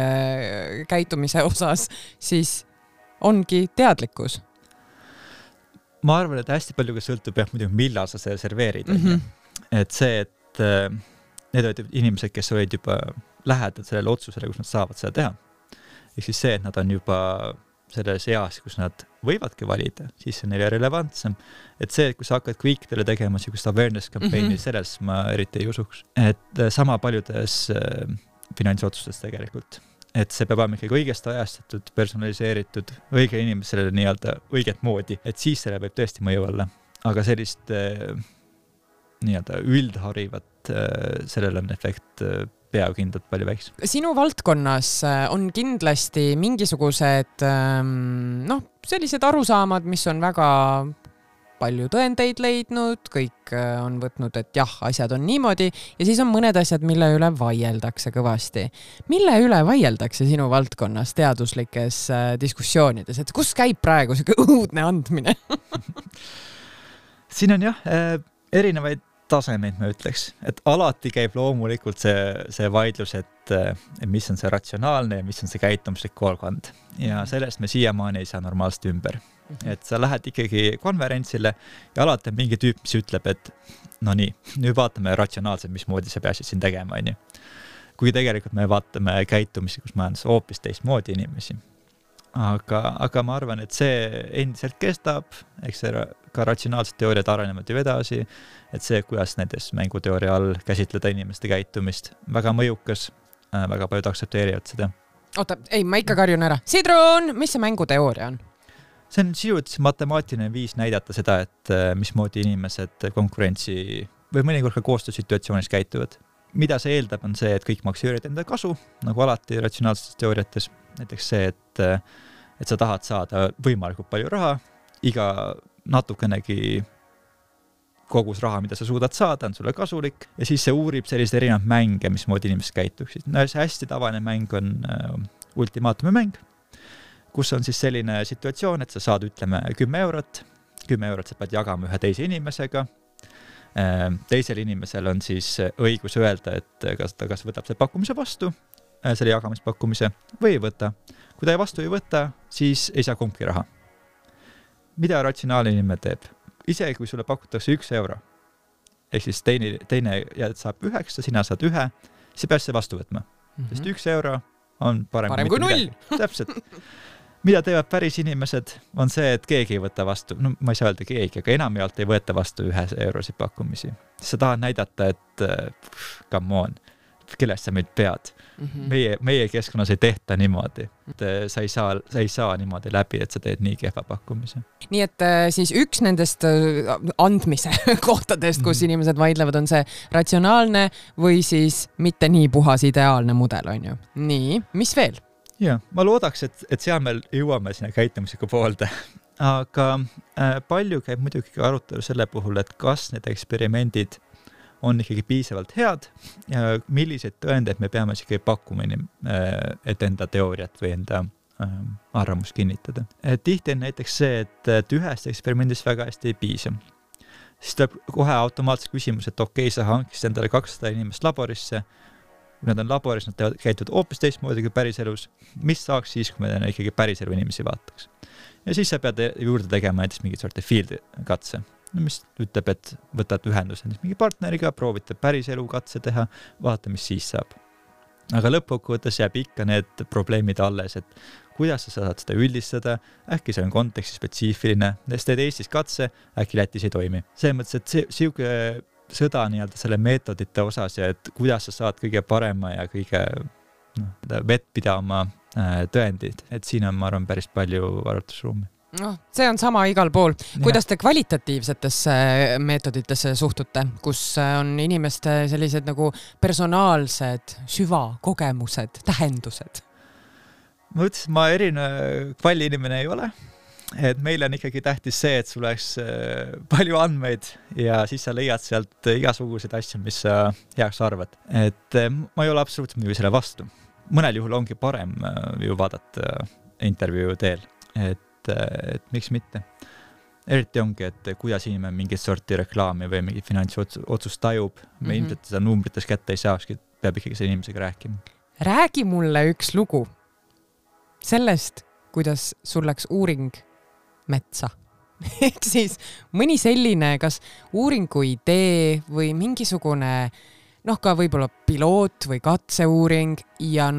käitumise osas, siis ongi teadlikkus. Ma arvan, et hästi palju ka sõltub muidugi, millal sa see serveerid. Et see, et need olid inimesed, kes olid juba lähedal sellele otsusele, kus nad saavad seda teha. Ehk siis see, et nad on juba selles eas, kus nad võivadki valida, siis on neile relevantsem. Et see, et kui sa hakkad kõikidele tegema sellist awareness kampaini, selles ma eriti ei usuks. Et sama paljudes finantsotsustes tegelikult. Et see peab olema ikkagi õigesti ajastatud, personaliseeritud, õige inimesele nii-öelda õiget moodi, et siis selle võib tõesti mõju olla. Aga sellist nii-öelda üldharivat sellele on efekt peakindlalt palju väiks. Sinu valdkonnas on kindlasti mingisugused sellised arusaamad, mis on väga palju tõendeid leidnud, kõik on võtnud, et jah, asjad on niimoodi ja siis on mõned asjad, mille üle vaieldakse kõvasti. Mille üle vaieldakse sinu valdkonnas teaduslikes diskussioonides, et kus käib praegu selline õudne andmine? Siin on erinevaid tasemeid, ma ütleks, et alati käib loomulikult see vaidlus, et mis on see ratsionaalne ja mis on see käitumuslik koolkond ja sellest me siiamaani ei saa normaalselt ümber. Et sa lähed ikkagi konverentsile ja alati on mingi tüüp, mis ütleb, et no nii, nüüd vaatame ratsionaalselt, mismoodi sa peasid siin tegema. Kui tegelikult me vaatame käitumisi, kus majandus hoopis teistmoodi inimesi. Aga ma arvan, et see endiselt kestab, eks see ka ratsionaalsed teooriad arenevad ju edasi, et see, kuidas näiteks mänguteooria all käsitleda inimeste käitumist, väga mõjukas, väga paljud aktsepteerivad seda. Oota, ei, ma ikka karjun ära. Sidrun, mis see mänguteooria on? See on sisuliselt matemaatiline viis näidata seda, et mismoodi inimesed konkurentsi või mõnikord ka koostöösituatsioonis käituvad. Mida see eeldab, on see, et kõik maksimeerivad enda kasu, nagu alati ratsionaalsetes teooriates. Näiteks see, et sa tahad saada võimalikult palju raha, iga natukenegi kogus raha, mida sa suudad saada, on sulle kasulik ja siis see uurib sellised erinevad mänge, mismoodi inimesed käituksid. See hästi tavaline mäng on ultimaatumi mäng, kus on siis selline situatsioon, et sa saad, ütleme, 10 eurot sa pead jagama ühe teise inimesega. Teisel inimesel on siis õigus öelda, et kas võtab see pakkumise vastu, selle jagamispakkumise või ei võta. Kui ta vastu ei võta, siis ei saa kumbki raha. Mida ratsionaalne inimene teeb? Isegi kui sulle pakutakse 1 euro, ehk siis teine saab 9, sina saad 1, siis pead see vastu võtma. Sest 1 euro on parem kui 0. Täpselt. Mida teevad päris inimesed, on see, et keegi ei võta vastu. No ma ei saa öelda keegi, aga enamjaolt ei võeta vastu 1 eurosid pakkumisi. Sa tahad näidata, et come on, kellest sa meid pead. Meie keskkonnas ei tehta niimoodi. Sa ei saa niimoodi läbi, et sa teed nii kehva pakkumise. Nii et siis üks nendest andmise kohtadest, kus inimesed vaidlevad, on see ratsionaalne või siis mitte nii puhas ideaalne mudel, on ju. Nii, mis veel? Ja, ma loodaks, et seal meil jõuame sinna käitumisega poolde. Aga palju käib muidugi arutelu selle puhul, et kas need eksperimendid on ikkagi piisavalt head ja milliseid tõendeid me peame ikkagi pakkuma, et enda teooriat või enda arvamust kinnitada. Tihti on näiteks see, et ühest eksperimendist väga hästi ei piisa. siis tuleb kohe automaatselt küsimus, et okei, sa hankisid endale 200 inimest laborisse, kui nad on laboris, nad käituvad hoopis teistmoodi kui päriselus, mis saaks siis, kui me ikkagi päriselu inimesi vaataks. Ja siis sa pead juurde tegema näiteks mingit sorti field katse, mis ütleb, et võtad ühendus mingi partneriga, proovite päriselu katse teha, vaata, mis siis saab. Aga lõppkokkuvõttes jääb ikka need probleemid alles, et kuidas sa saad seda üldistada, äkki see on konteksti spetsiifiline, sest teed Eestis katse, äkki Lätis ei toimi. See mõttes, et siuke sõda nii-öelda selle meetodite osas ja et kuidas sa saad kõige parema ja kõige vettpidama tõendid, et siin on, ma arvan, päris palju arvutusruumi. See on sama igal pool. Kuidas te kvalitatiivsetesse meetoditesse suhtute, kus on inimeste sellised nagu personaalsed süvakogemused, tähendused? Ma ütlesin, ma erinev kvalliinimene ei ole. Et meil on ikkagi tähtis see, et sul oleks palju andmeid ja siis sa leiad sealt igasuguseid asju, mis sa heaks arvad. Et ma ei ole absoluutselt muidugi selle vastu. Mõnel juhul ongi parem ju vaadata intervjuu teel, et miks mitte. Eriti ongi, et kuidas inimene mingit sorti reklaami või mingi finantsotsust tajub. Me ilmselt seda numbrites kätte ei saakski, peab ikkagi selle inimesega rääkima. Räägi mulle üks lugu sellest, kuidas sul läks uuring metsa. Ehk siis mõni selline, kas uuringu idee või mingisugune ka võib-olla piloot või katseuuring ja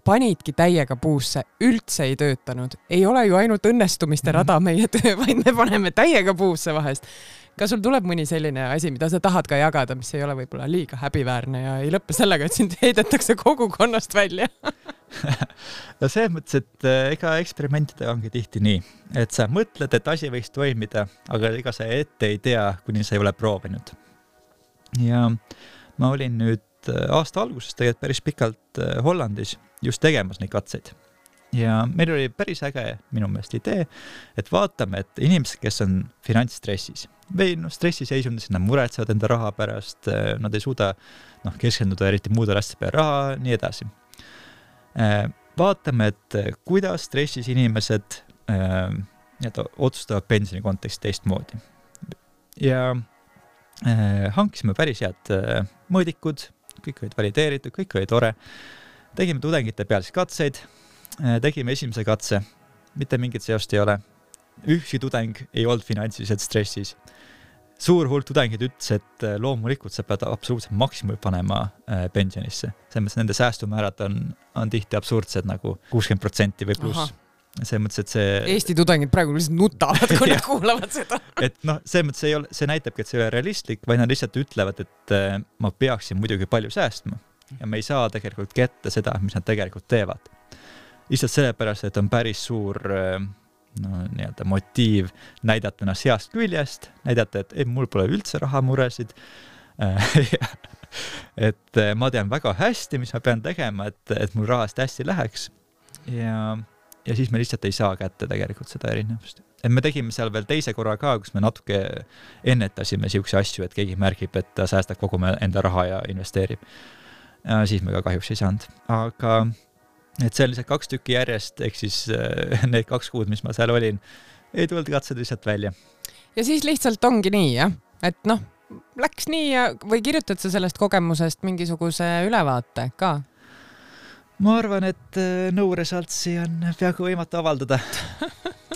panidki täiega puusse, üldse ei töötanud. Ei ole ju ainult õnnestumiste rada meie töö, vaid me paneme täiega puusse vahest. Kas sul tuleb mõni selline asi, mida sa tahad ka jagada, mis ei ole võib-olla liiga häbiväärne ja ei lõppe sellega, et sind heidetakse kogukonnast välja? No see mõttes, et ega eksperimentidega ongi tihti nii, et sa mõtled, et asi võiks toimida, aga ega sa ette ei tea, kuni sa ei ole proovinud. Ja ma olin nüüd aasta alguses tegelikult päris pikalt Hollandis just tegemas neid katseid. Ja meil oli päris äge minu meelest idee, et vaatame, et inimesed, kes on finantsstressis või stressiseisundis, nad muretsevad enda raha pärast, nad ei suuda keskenduda eriti muude asjade peale raha, nii edasi. Vaatame, et kuidas stressis inimesed otsustavad pensioni konteksti teistmoodi. Ja hankisime päris head mõõdikud, kõik olid valideeritud, kõik oli tore. Tegime tudengite peal siis katseid, tegime esimese katse, mitte mingit seost ei ole. Ükski tudeng ei olnud finantsiliselt stressis. Suur hulk tudengid ütles, et loomulikult sa pead absoluutselt maksimumi panema pensionisse. Selles nende säästumäärad on tihti absurdsed nagu 60% või pluss. See mõttes, et see... Eesti tudengid praegu lihtsalt nutavad, kui nad kuulavad seda. Et see mõttes see näitabki, et see ei ole realistlik, vaid nad lihtsalt ütlevad, et ma peaksin muidugi palju säästma ja me ei saa tegelikult kätte seda, mis nad tegelikult teevad. Lihtsalt sellepärast, et on päris suur nii-öelda motiiv näidata ennast heast küljest, näidata, et mul pole üldse rahamuresid. Et ma tean väga hästi, mis ma pean tegema, et mul rahast hästi läheks. Ja siis me lihtsalt ei saa kätte tegelikult seda erinevust. Et me tegime seal veel teise korra ka, kus me natuke ennetasime siukse asju, et keegi märgib, et ta säästab kogu enda raha ja investeerib. Ja siis me ka kahjuks ei saanud. Aga et see oli 2 tükki järjest, ehk siis need 2 kuud, mis ma seal olin, ei tulnud katsed lihtsalt välja. Ja siis lihtsalt ongi nii, jah? Et läks nii või kirjutad sa sellest kogemusest mingisuguse ülevaate ka? Ma arvan, et nõuresaltsi on peaaegu võimatu avaldada.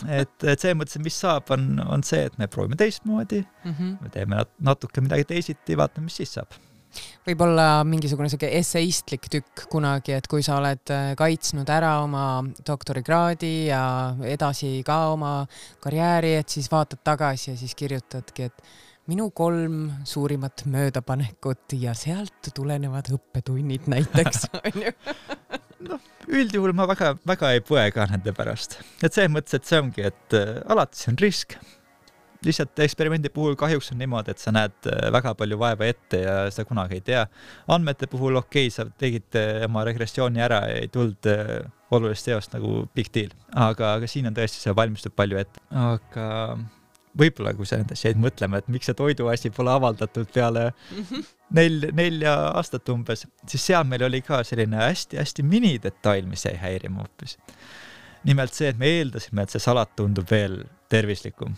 Et see mõttes, mis saab, on see, et me proovime teistmoodi, me teeme natuke midagi teisiti, vaatame, mis siis saab. Võib-olla mingisugune esseistlik tükk kunagi, et kui sa oled kaitsnud ära oma doktorikraadi ja edasi ka oma karjääri, et siis vaatad tagasi ja siis kirjutadki, et minu 3 suurimat möödapanekut ja sealt tulenevad õppetunnid näiteks. Üldjuhul ma väga ei põe ka nende pärast. Et see mõttes, et see ongi, et alati see on risk. Lihtsalt eksperimendi puhul kahjuks on niimoodi, et sa näed väga palju vaeva ette ja seda kunagi ei tea. Andmete puhul sa tegid oma regressiooni ära ja ei tulnud olulist seost nagu big deal. Aga siin on tõesti see valmistub palju ette. Aga võib-olla, kui sa nendest jäid mõtlema, et miks see toiduasi pole avaldatud peale 4 aastat umbes, siis seal meil oli ka selline hästi minidetail, mis ei häirima hoopis. Nimelt see, et me eeldasime, et see salat tundub veel tervislikum.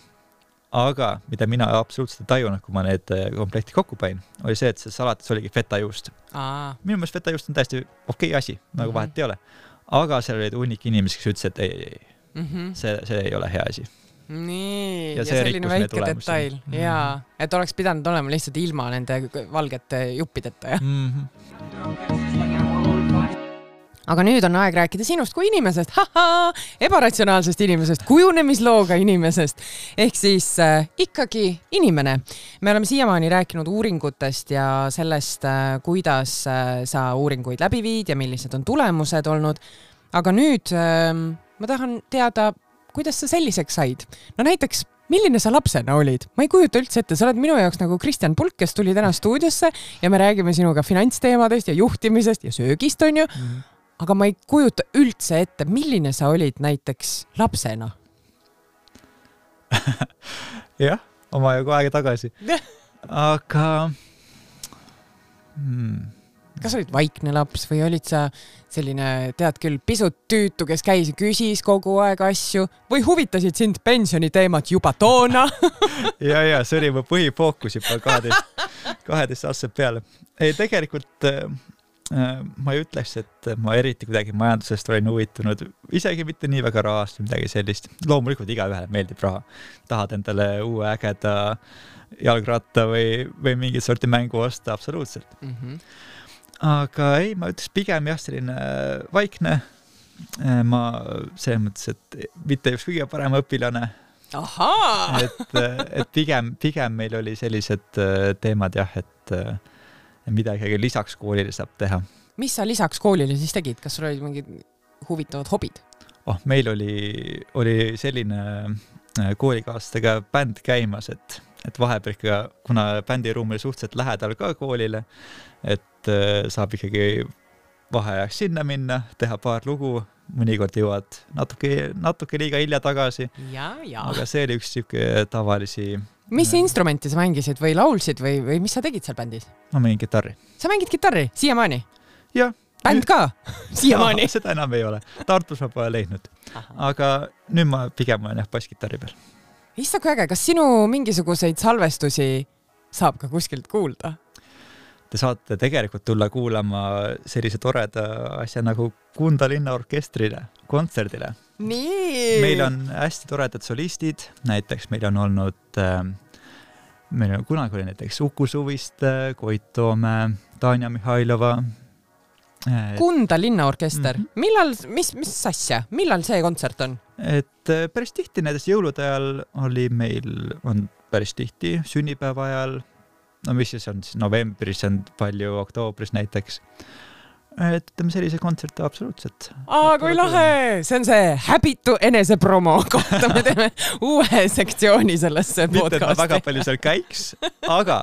aga mida mina absoluutselt ei tajunud, kui ma need komplekti kokku panin, oli see, et see salatis oligi fetajuust. Minu meelest fetajuust on täiesti okei asi, nagu vahet ei ole. Aga seal olid hunnik inimesi, kes ütles, et ei. See ei ole hea asi. Nii, ja selline väike detail. Jaa, et oleks pidanud olema lihtsalt ilma nende valgete juppideta, jah? Aga nüüd on aeg rääkida sinust kui inimesest, ebaratsionaalsest inimesest, kujunemislooga inimesest, ehk siis ikkagi inimene. Me oleme siiamaani rääkinud uuringutest ja sellest, kuidas sa uuringuid läbi viid ja millised on tulemused olnud. Aga nüüd ma tahan teada, kuidas sa selliseks said. No näiteks, milline sa lapsena olid? Ma ei kujuta üldse ette, sa oled minu jaoks nagu Kristjan Pulk, kes tuli täna stuudiosse ja me räägime sinuga finantsteemadest ja juhtimisest ja söögist, on ju. Aga ma ei kujuta üldse ette, milline sa olid näiteks lapsena? Jah, oma ju aega tagasi. Aga... Kas olid vaikne laps või olid sa selline, tead küll, pisut tüütu, kes käis ja küsis kogu aeg asju või huvitasid sind pensioniteemat juba toona? ja, see oli mu põhifookus juba 12 aastat peale. Ei, tegelikult... ma ei ütleks, et ma eriti kuidagi majandusest olin huvitunud, isegi mitte nii väga rahast või midagi sellist. Loomulikult igaühele meeldib raha. Tahad endale uue ägeda jalgratta või mingit sorti mängu osta, absoluutselt. Aga ei, ma ütleks pigem jah, selline vaikne. Ma selles mõttes, et mitte just kõige parem õpilane. Et pigem meil oli sellised teemad jah, et midagi lisaks koolile saab teha. Mis sa lisaks koolile siis tegid? Kas sul olid mingid huvitavad hobid? Meil oli selline koolikaaslastega bänd käimas, et vahepeal ikka, kuna bändiruum oli suhteliselt lähedal ka koolile, et saab ikkagi vaheajaks sinna minna, teha paar lugu, mõnikord jõuad natuke liiga hilja tagasi. Ja. Aga see oli üks siuke tavalisi... Mis instrumenti sa mängisid või laulsid või mis sa tegid seal bändis? Ma mängin kitarri. Sa mängid kitarri? Siiamaani? Jah. Bänd ka? Siiamaani? Seda enam ei ole. Tartus ma pole leidnud. Aga nüüd ma pigem olen basskitarri peal. Issa kui äge, kas sinu mingisuguseid salvestusi saab ka kuskilt kuulda? Te saate tegelikult tulla kuulama sellise toreda asja nagu Kunda linnaorkestrile, kontserdile. Nii! Meil on hästi toredad solistid, näiteks meil on olnud, kunagi oli näiteks Uku Suviste, Koit Toome, Tanja Mihhailova. Kunda linnaorkester. Millal, mis asja? Millal see kontsert on? Et päris tihti näiteks jõulude ajal on päris tihti sünnipäeva ajal, no mis siis on novembris, on palju oktoobris näiteks. Et ütleme sellise kontserte absoluutselt. Kui lahe! See on see häbitu enesepromo kohta. Me teeme uue sektsiooni sellesse podcasti. Mitte, et ma väga palju seal käiks, aga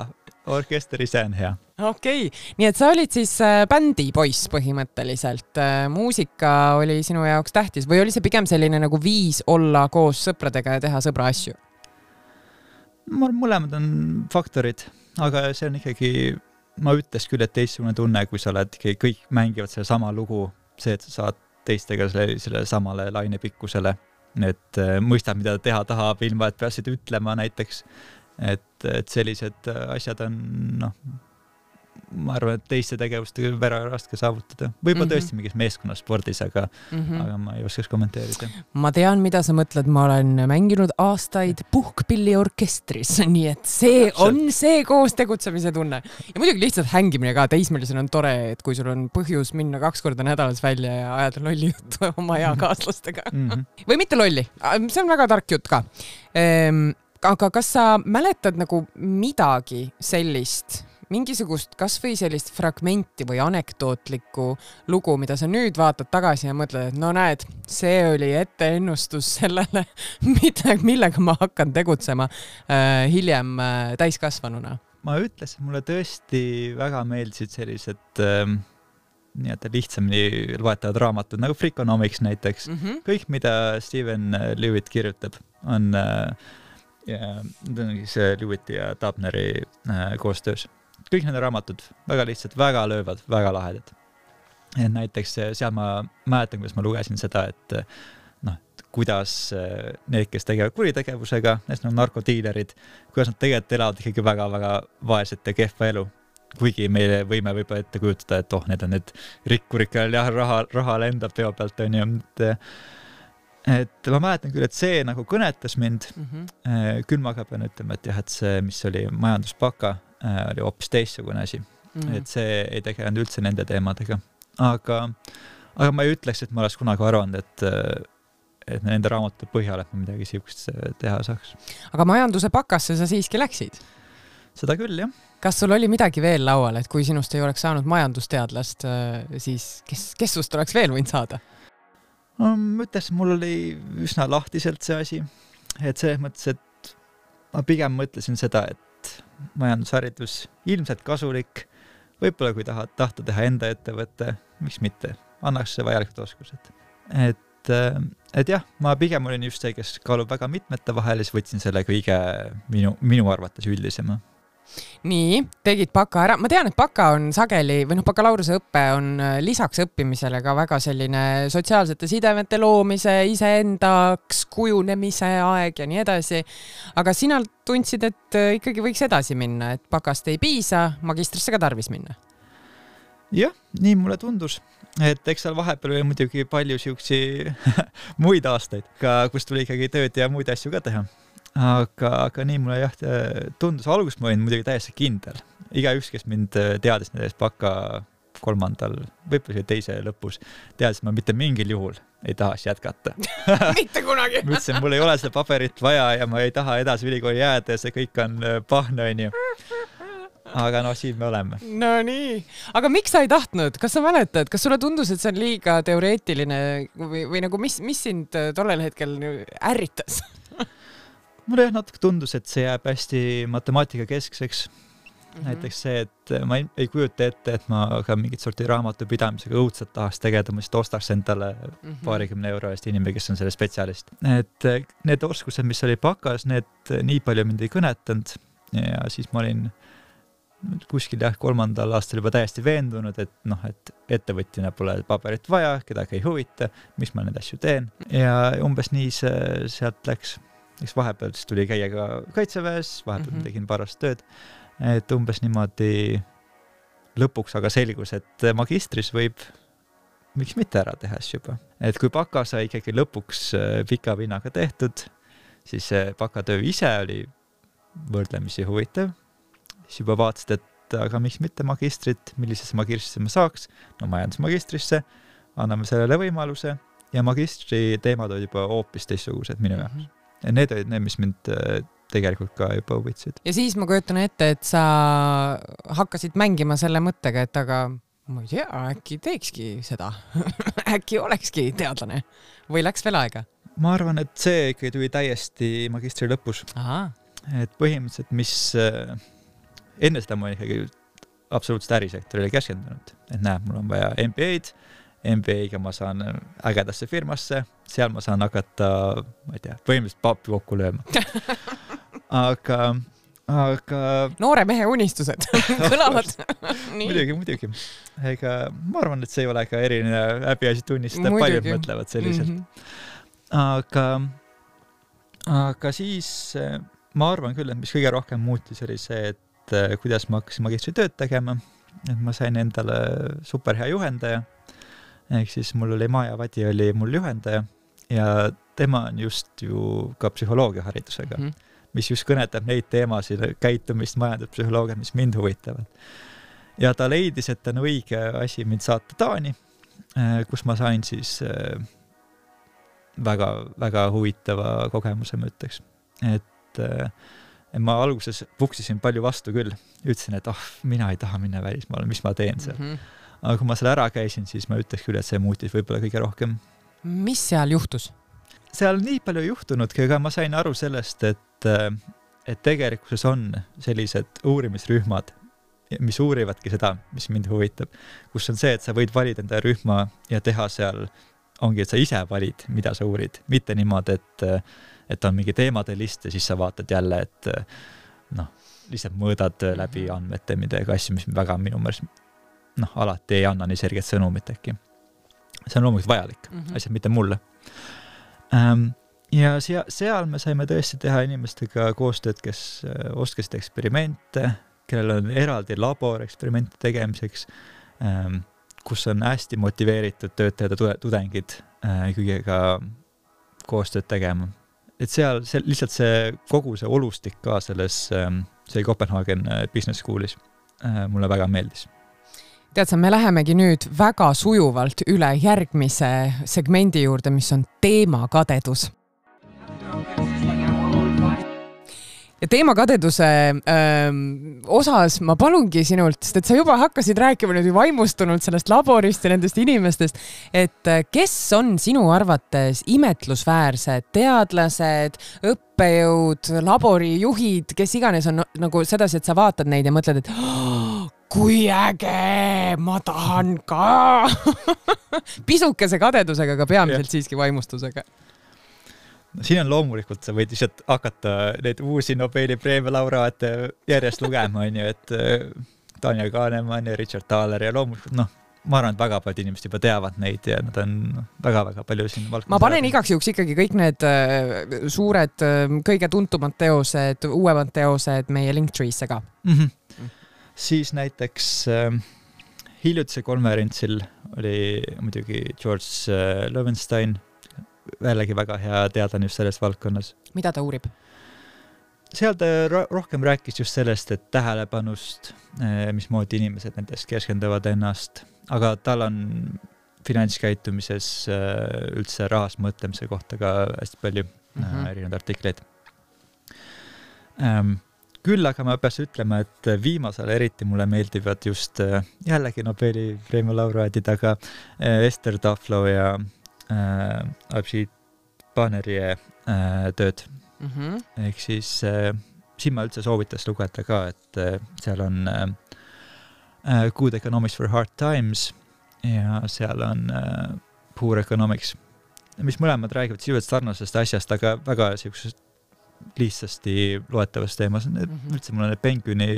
orkester ise on hea. Okei. Nii et sa olid siis bändi poiss põhimõtteliselt. Muusika oli sinu jaoks tähtis või oli see pigem selline nagu viis olla koos sõpradega ja teha sõbra asju? Mõlemad on faktorid, aga see on ikkagi... Ma ütles küll, et teistsugune tunne, kui sa oled, kõik mängivad selle sama lugu, see, et sa saad teistega selle samale lainepikkusele, et mõistad, mida teha tahab, ilma, et peasid ütlema näiteks, et sellised asjad on, ma arvan, et teiste tegevustega väga raske saavutada. Võib-olla tõesti mingis meeskonnaspordis, aga ma ei oskaks kommenteerida. Ma tean, mida sa mõtled. Ma olen mänginud aastaid puhkpilliorkestris, nii et see on see koos tegutsemise tunne. Ja muidugi lihtsalt hängimine ka teismelisena on tore, et kui sul on põhjus minna 2 korda nädalas välja ja ajada lolli juttu oma eakaaslastega. Või mitte lolli. See on väga tark jutt ka. Aga kas sa mäletad nagu midagi sellist, mingisugust kas või sellist fragmenti või anekdootlikku lugu, mida sa nüüd vaatad tagasi ja mõtled, et no näed, see oli etteennustus sellele, millega ma hakkan tegutsema hiljem täiskasvanuna? Ma ütles, et mulle tõesti väga meeldisid sellised lihtsamini loetavad raamatud, nagu Freakonomics näiteks. Kõik, mida Steven Lewitt kirjutab, on see Lewitt ja Tabneri koostöös. Kõik need raamatud, väga lihtsalt, väga löövad, väga lahedad. Ja näiteks seal ma mäletan, kuidas ma lugesin seda, et kuidas need, kes tegevad kuritegevusega, need on narkodiilerid, kuidas nad tegelikult elavad ikkagi väga-väga vaeset ja kehva elu. Kuigi meile võime võib-olla ette kujutada, et need on need rikkurid, kellel jah, raha lendab peo pealt, on ju. Et ma mäletan küll, et see nagu kõnetas mind, küll ma ka pean ütlema, et jah, et see, mis oli majanduspaka, oli hoopis teistsugune asi. Et see ei tegelenud üldse nende teemadega. Aga ma ei ütleks, et ma oleks kunagi arvanud, et nende raamatute põhjal, et ma midagi siukest teha saaks. Aga majanduse pakasse sa siiski läksid? Seda küll, jah. Kas sul oli midagi veel laual, et kui sinust ei oleks saanud majandusteadlast, siis kes sust oleks veel võinud saada? Ma ütles, mul oli üsna lahtiselt see asi. Et selles mõttes, et ma pigem mõtlesin seda, et majandusharidus ilmselt kasulik, võib-olla kui tahta teha enda ettevõtte, miks mitte, annaks see vajalikud oskused. Et jah, ma pigem olin just see, kes kaalub väga mitmete vahel, siis võtsin selle kõige minu arvates üldisema. Nii, tegid baka ära. Ma tean, et baka on sageli, või bakalaureuse õppe on lisaks õppimisele ka väga selline sotsiaalsete sidemete loomise, iseendaks kujunemise aeg ja nii edasi. Aga sina tundsid, et ikkagi võiks edasi minna, et bakast ei piisa, magistrisse ka tarvis minna. Jah, nii mulle tundus. Et eks seal vahepeal oli muidugi palju siuksi muid aastaid, kus tuli ikkagi tööd ja muid asju ka teha. Aga nii mulle jah tundus, alguses ma olin muidugi täiesti kindel. Igaüks, kes mind teadis nendest baka 3. võib-olla teise lõpus, teadis, et ma mitte mingil juhul ei tahaks jätkata. Mitte kunagi. Ma ütlesin, mul ei ole seda paberit vaja ja ma ei taha edasi ülikooli jääda ja see kõik on pahna, on ju. Aga siin me oleme. No nii. Aga miks sa ei tahtnud? Kas sa mäletad? Kas sulle tundus, et see on liiga teoreetiline või nagu mis sind tollel hetkel ärritas? Mulle natuke tundus, et see jääb hästi matemaatika keskseks. Näiteks see, et ma ei kujuta ette, et ma ka mingit sorti raamatupidamisega õudselt tahaks tegeda, ma ostaks endale paarikümne euro eest inimene, kes on selle spetsialist. Et need oskused, mis oli bakas, need nii palju mind ei kõnetanud ja siis ma olin kuskil 3. aastal juba täiesti veendunud, et ettevõtjana pole paberit vaja, kedagi ei huvita, miks ma need asju teen. Ja umbes nii see sealt läks. Eks vahepeal tuli käia ka kaitseväes, vahepeal tegin parast tööd, et umbes niimoodi lõpuks aga selgus, et magistris võib miks mitte ära teha juba. Et kui baka sai ikkagi lõpuks pika vinnaga tehtud, siis bakatöö ise oli võrdlemisi huvitav. Siis juba vaatasid, et aga miks mitte magistrit, millisesse magistrisse ma saaks, no majandusmagistrisse, anname sellele võimaluse ja magistri teemad olid juba hoopis teistsugused minu jaoks. Ja need olid need, mis mind tegelikult ka juba huvitasid. Ja siis ma kujutan ette, et sa hakkasid mängima selle mõttega, et aga ma ei tea, äkki teekski seda. Äkki olekski teadlane või läks veel aega? Ma arvan, et see ikkagi tuli täiesti magistri lõpus. Aha. Et põhimõtteliselt, mis enne seda ma ikkagi absoluutselt ärisektorile keskendunud. Et näe, mul on vaja MBA-d, MBA-ga ma saan ägedasse firmasse, seal ma saan hakata, ma ei tea, põhimõtteliselt papi kokku lööma. Aga noore mehe unistused kõlavad. Muidugi. Ega ma arvan, et see ei ole ka eriline häbiasi tunnistada, paljud mõtlevad selliselt. Aga siis ma arvan küll, et mis kõige rohkem muutis oli see, et kuidas ma hakkasin magistri tööd tegema, et ma sain endale superhea juhendaja. Ehk siis mul oli Maja Vadi oli mul juhendaja ja tema on just ju ka psühholoogia haridusega, mis just kõnetab neid teemasid, käitumist, majanduspsühholoogiat, mis mind huvitavad. Ja ta leidis, et on õige asi mind saata Taani, kus ma sain siis väga, väga huvitava kogemuse, ma ütleks. Et ma alguses puksisin palju vastu küll. Ütlesin, et mina ei taha minna välismaale, mis ma teen seal. Aga kui ma selle ära käisin, siis ma ütleks küll, et see muutis võib-olla kõige rohkem. Mis seal juhtus? Seal nii palju juhtunudki, aga ma sain aru sellest, et tegelikkuses on sellised uurimisrühmad, mis uurivadki seda, mis mind huvitab, kus on see, et sa võid valida enda rühma ja teha seal, ongi, et sa ise valid, mida sa uurid. Mitte niimoodi, et on mingi teemade list ja siis sa vaatad jälle, et lihtsalt mõõdad läbi andmete midagi asju, mis väga minu mõelest alati ei anna nii selget sõnumit äkki. See on loomulikult vajalik, asjad mitte mulle. Ja seal me saime tõesti teha inimestega koostööd, kes oskasid eksperimente, kellel on eraldi labor eksperimente tegemiseks, kus on hästi motiveeritud töötajad ja tudengid kõigega koostööd tegema. Et seal lihtsalt kogu see olustik ka see Kopenhaagen Business Schoolis mulle väga meeldis. Tead sa, me lähemegi nüüd väga sujuvalt üle järgmise segmendi juurde, mis on teemakadedus. Ja teemakadeduse osas ma palungi sinult, sest et sa juba hakkasid rääkima nüüd vaimustunult sellest laborist ja nendest inimestest, et kes on sinu arvates imetlusväärsed teadlased, õppejõud, laborijuhid, kes iganes on nagu sedasi, et sa vaatad neid ja mõtled, et kui äge, ma tahan ka. Pisukese kadedusega, aga peamiselt siiski vaimustusega. No, siin on loomulikult, sa võid lihtsalt hakata neid uusi Nobeli preemia laureaate järjest lugema, on ju, et Tanja Kahnemann ja Richard Thaler ja loomulikult, ma arvan, et väga paljud inimesed juba teavad neid ja nad on väga-väga palju siin valdkonnas. Ma panen igaks juhuks ikkagi kõik need suured, kõige tuntumad teosed, uuemad teosed meie Linktree'sse ka. Siis näiteks hiljutise konverentsil oli muidugi George Loewenstein, jällegi väga hea teadlane just selles valdkonnas. Mida ta uurib? Seal ta rohkem rääkis just sellest, et tähelepanust, mismoodi inimesed nendest keskenduvad ennast, aga tal on finantskäitumises üldse rahas mõtlemise kohta ka hästi palju erinevaid artikleid. Küll aga ma peaks ütlema, et viimasel eriti mulle meeldivad just jällegi Nobeli preemia laureaadid, aga Esther Duflo ja Abhijit Banerjee tööd. Ehk siis siin ma üldse soovitas lugeda ka, et seal on Good Economics for Hard Times ja seal on Poor Economics, mis mõlemad räägivad sisuliselt sarnasest asjast, aga väga sellisest lihtsasti loetavast teemas. Üldse mul on need Penguini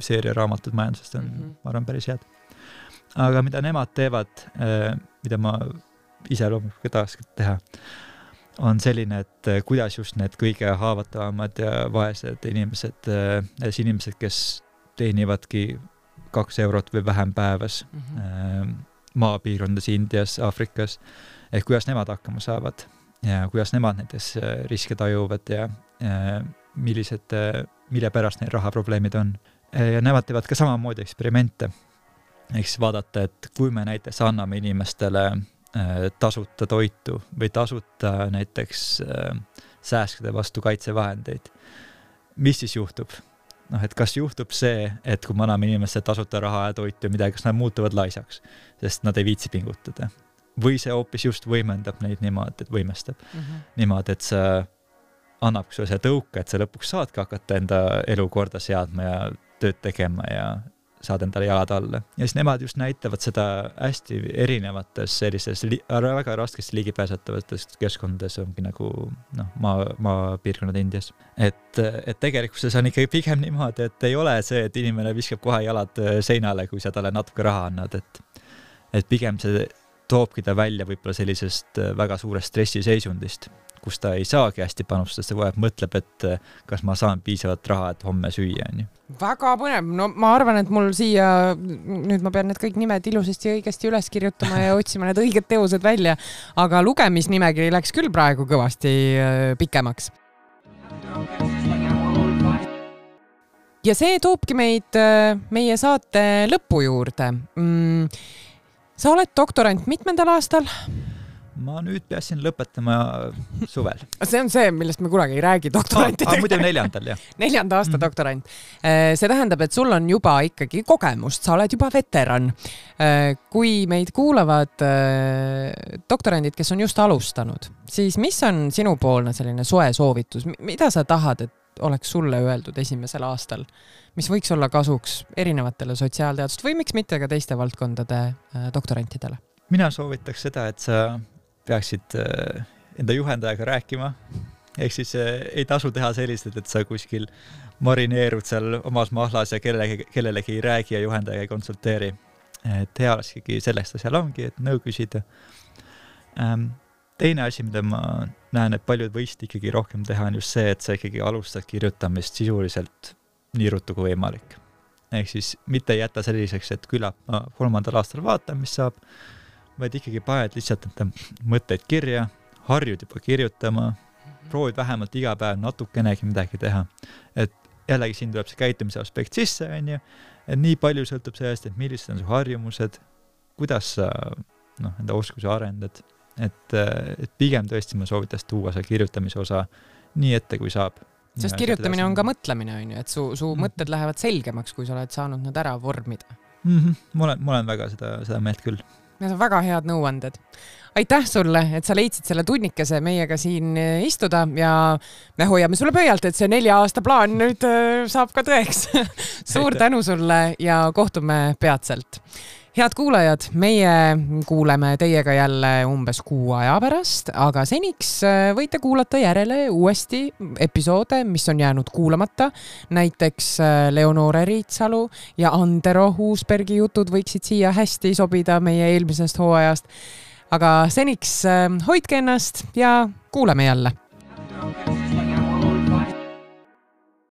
seeria raamatud majandusest on, ma arvan, päris head. Aga mida nemad teevad, mida ma ise loomulikult tahaks teha, on selline, et kuidas just need kõige haavatavamad ja vaesed inimesed, kes teenivadki 2 eurot või vähem päevas maapiirkondades Indias, Aafrikas, et kuidas nemad hakkama saavad ja kuidas nemad näiteks riske tajuvad ja mille pärast neil rahaprobleemid on. Ja nemad teevad ka samamoodi eksperimente. Eks vaadata, et kui me näiteks anname inimestele tasuta toitu või tasuta näiteks sääskide vastu kaitsevahendeid, mis siis juhtub? Et kas juhtub see, et kui me anname inimestele tasuta raha ja toitu ja midagi, kas nad muutuvad laisaks, sest nad ei viitsi pingutada? Või see hoopis just võimendab neid niimoodi, et võimestab niimoodi, et sa annab see tõuka, et sa lõpuks saadki hakata enda elu korda seadma ja tööd tegema ja saad endale jalad alla. Ja siis nemad just näitavad seda hästi erinevates sellistes väga raskesti ligipääsetavates keskkondades ongi nagu maapiirkonnad Indias. Et tegelikkuses on ikkagi pigem niimoodi, et ei ole see, et inimene viskab kohe jalad seinale, kui sa talle natuke raha annad, et pigem see toobki ta välja võib-olla sellisest väga suurest stressiseisundist, kus ta ei saagi hästi panustada, see vajab mõtleb, et kas ma saan piisavat raha, et homme süüa. Väga põnev. No ma arvan, et mul siia, nüüd ma pean need kõik nimed ilusasti õigesti üles kirjutama ja otsima need õiged teosed välja, aga lugemisnimekiri läks küll praegu kõvasti pikemaks. Ja see toobki meid meie saate lõpu juurde. Sa oled doktorant mitmendal aastal? Ma nüüd peasin lõpetama suvel. See on see, millest me kunagi ei räägi doktorantidega. Muidu 4. jah. 4. aasta doktorant. See tähendab, et sul on juba ikkagi kogemust, sa oled juba veteran. Kui meid kuulavad doktorandid, kes on just alustanud, siis mis on sinupoolne selline soe soovitus? Mida sa tahad, et oleks sulle öeldud esimesel aastal, mis võiks olla kasuks erinevatele sotsiaalteadust või miks mitte ka teiste valdkondade doktorantidele? Mina soovitaks seda, et sa peaksid enda juhendajaga rääkima. Ehk siis ei tasu teha sellised, et sa kuskil marineerud seal omas mahlas ja kellelegi ei räägi ja juhendajaga ei konsulteeri. Et hea olekski sellest seal ongi, et nõu küsida. teine asi, mida ma näen, et paljud võisid ikkagi rohkem teha, on just see, et sa ikkagi alustad kirjutamist sisuliselt nii ruttu kui võimalik. Ehk siis mitte jätta selliseks, et küllap ma 3. aastal vaatan, mis saab, vaid ikkagi paned lihtsalt mõtteid kirja, harjud juba kirjutama, proovid vähemalt iga päev natukenegi midagi teha. Et jällegi siin tuleb see käitumise aspekt sisse, on ju, et nii palju sõltub sellest, et millised on su harjumused, kuidas sa enda oskusi arendad, et pigem tõesti ma soovitas tuua see kirjutamise osa nii ette, kui saab. Sest kirjutamine on ka mõtlemine, on ju, et su mõtted lähevad selgemaks, kui sa oled saanud need ära vormida. Ma olen väga seda meelt küll. Need on väga head nõuanded. Aitäh sulle, et sa leidsid selle tunnikese meiega siin istuda ja me hoiame sulle pöialt, et see 4 aasta plaan nüüd saab ka tõeks. Suur tänu sulle ja kohtume peatselt. Head kuulajad, meie kuuleme teiega jälle umbes 6 aja pärast, aga seniks võite kuulata järele uuesti episoode, mis on jäänud kuulamata. Näiteks Leonore Riitsalu ja Andero Uusbergi jutud võiksid siia hästi sobida meie eelmisest hooajast. Aga seniks hoidke ennast ja kuuleme jälle.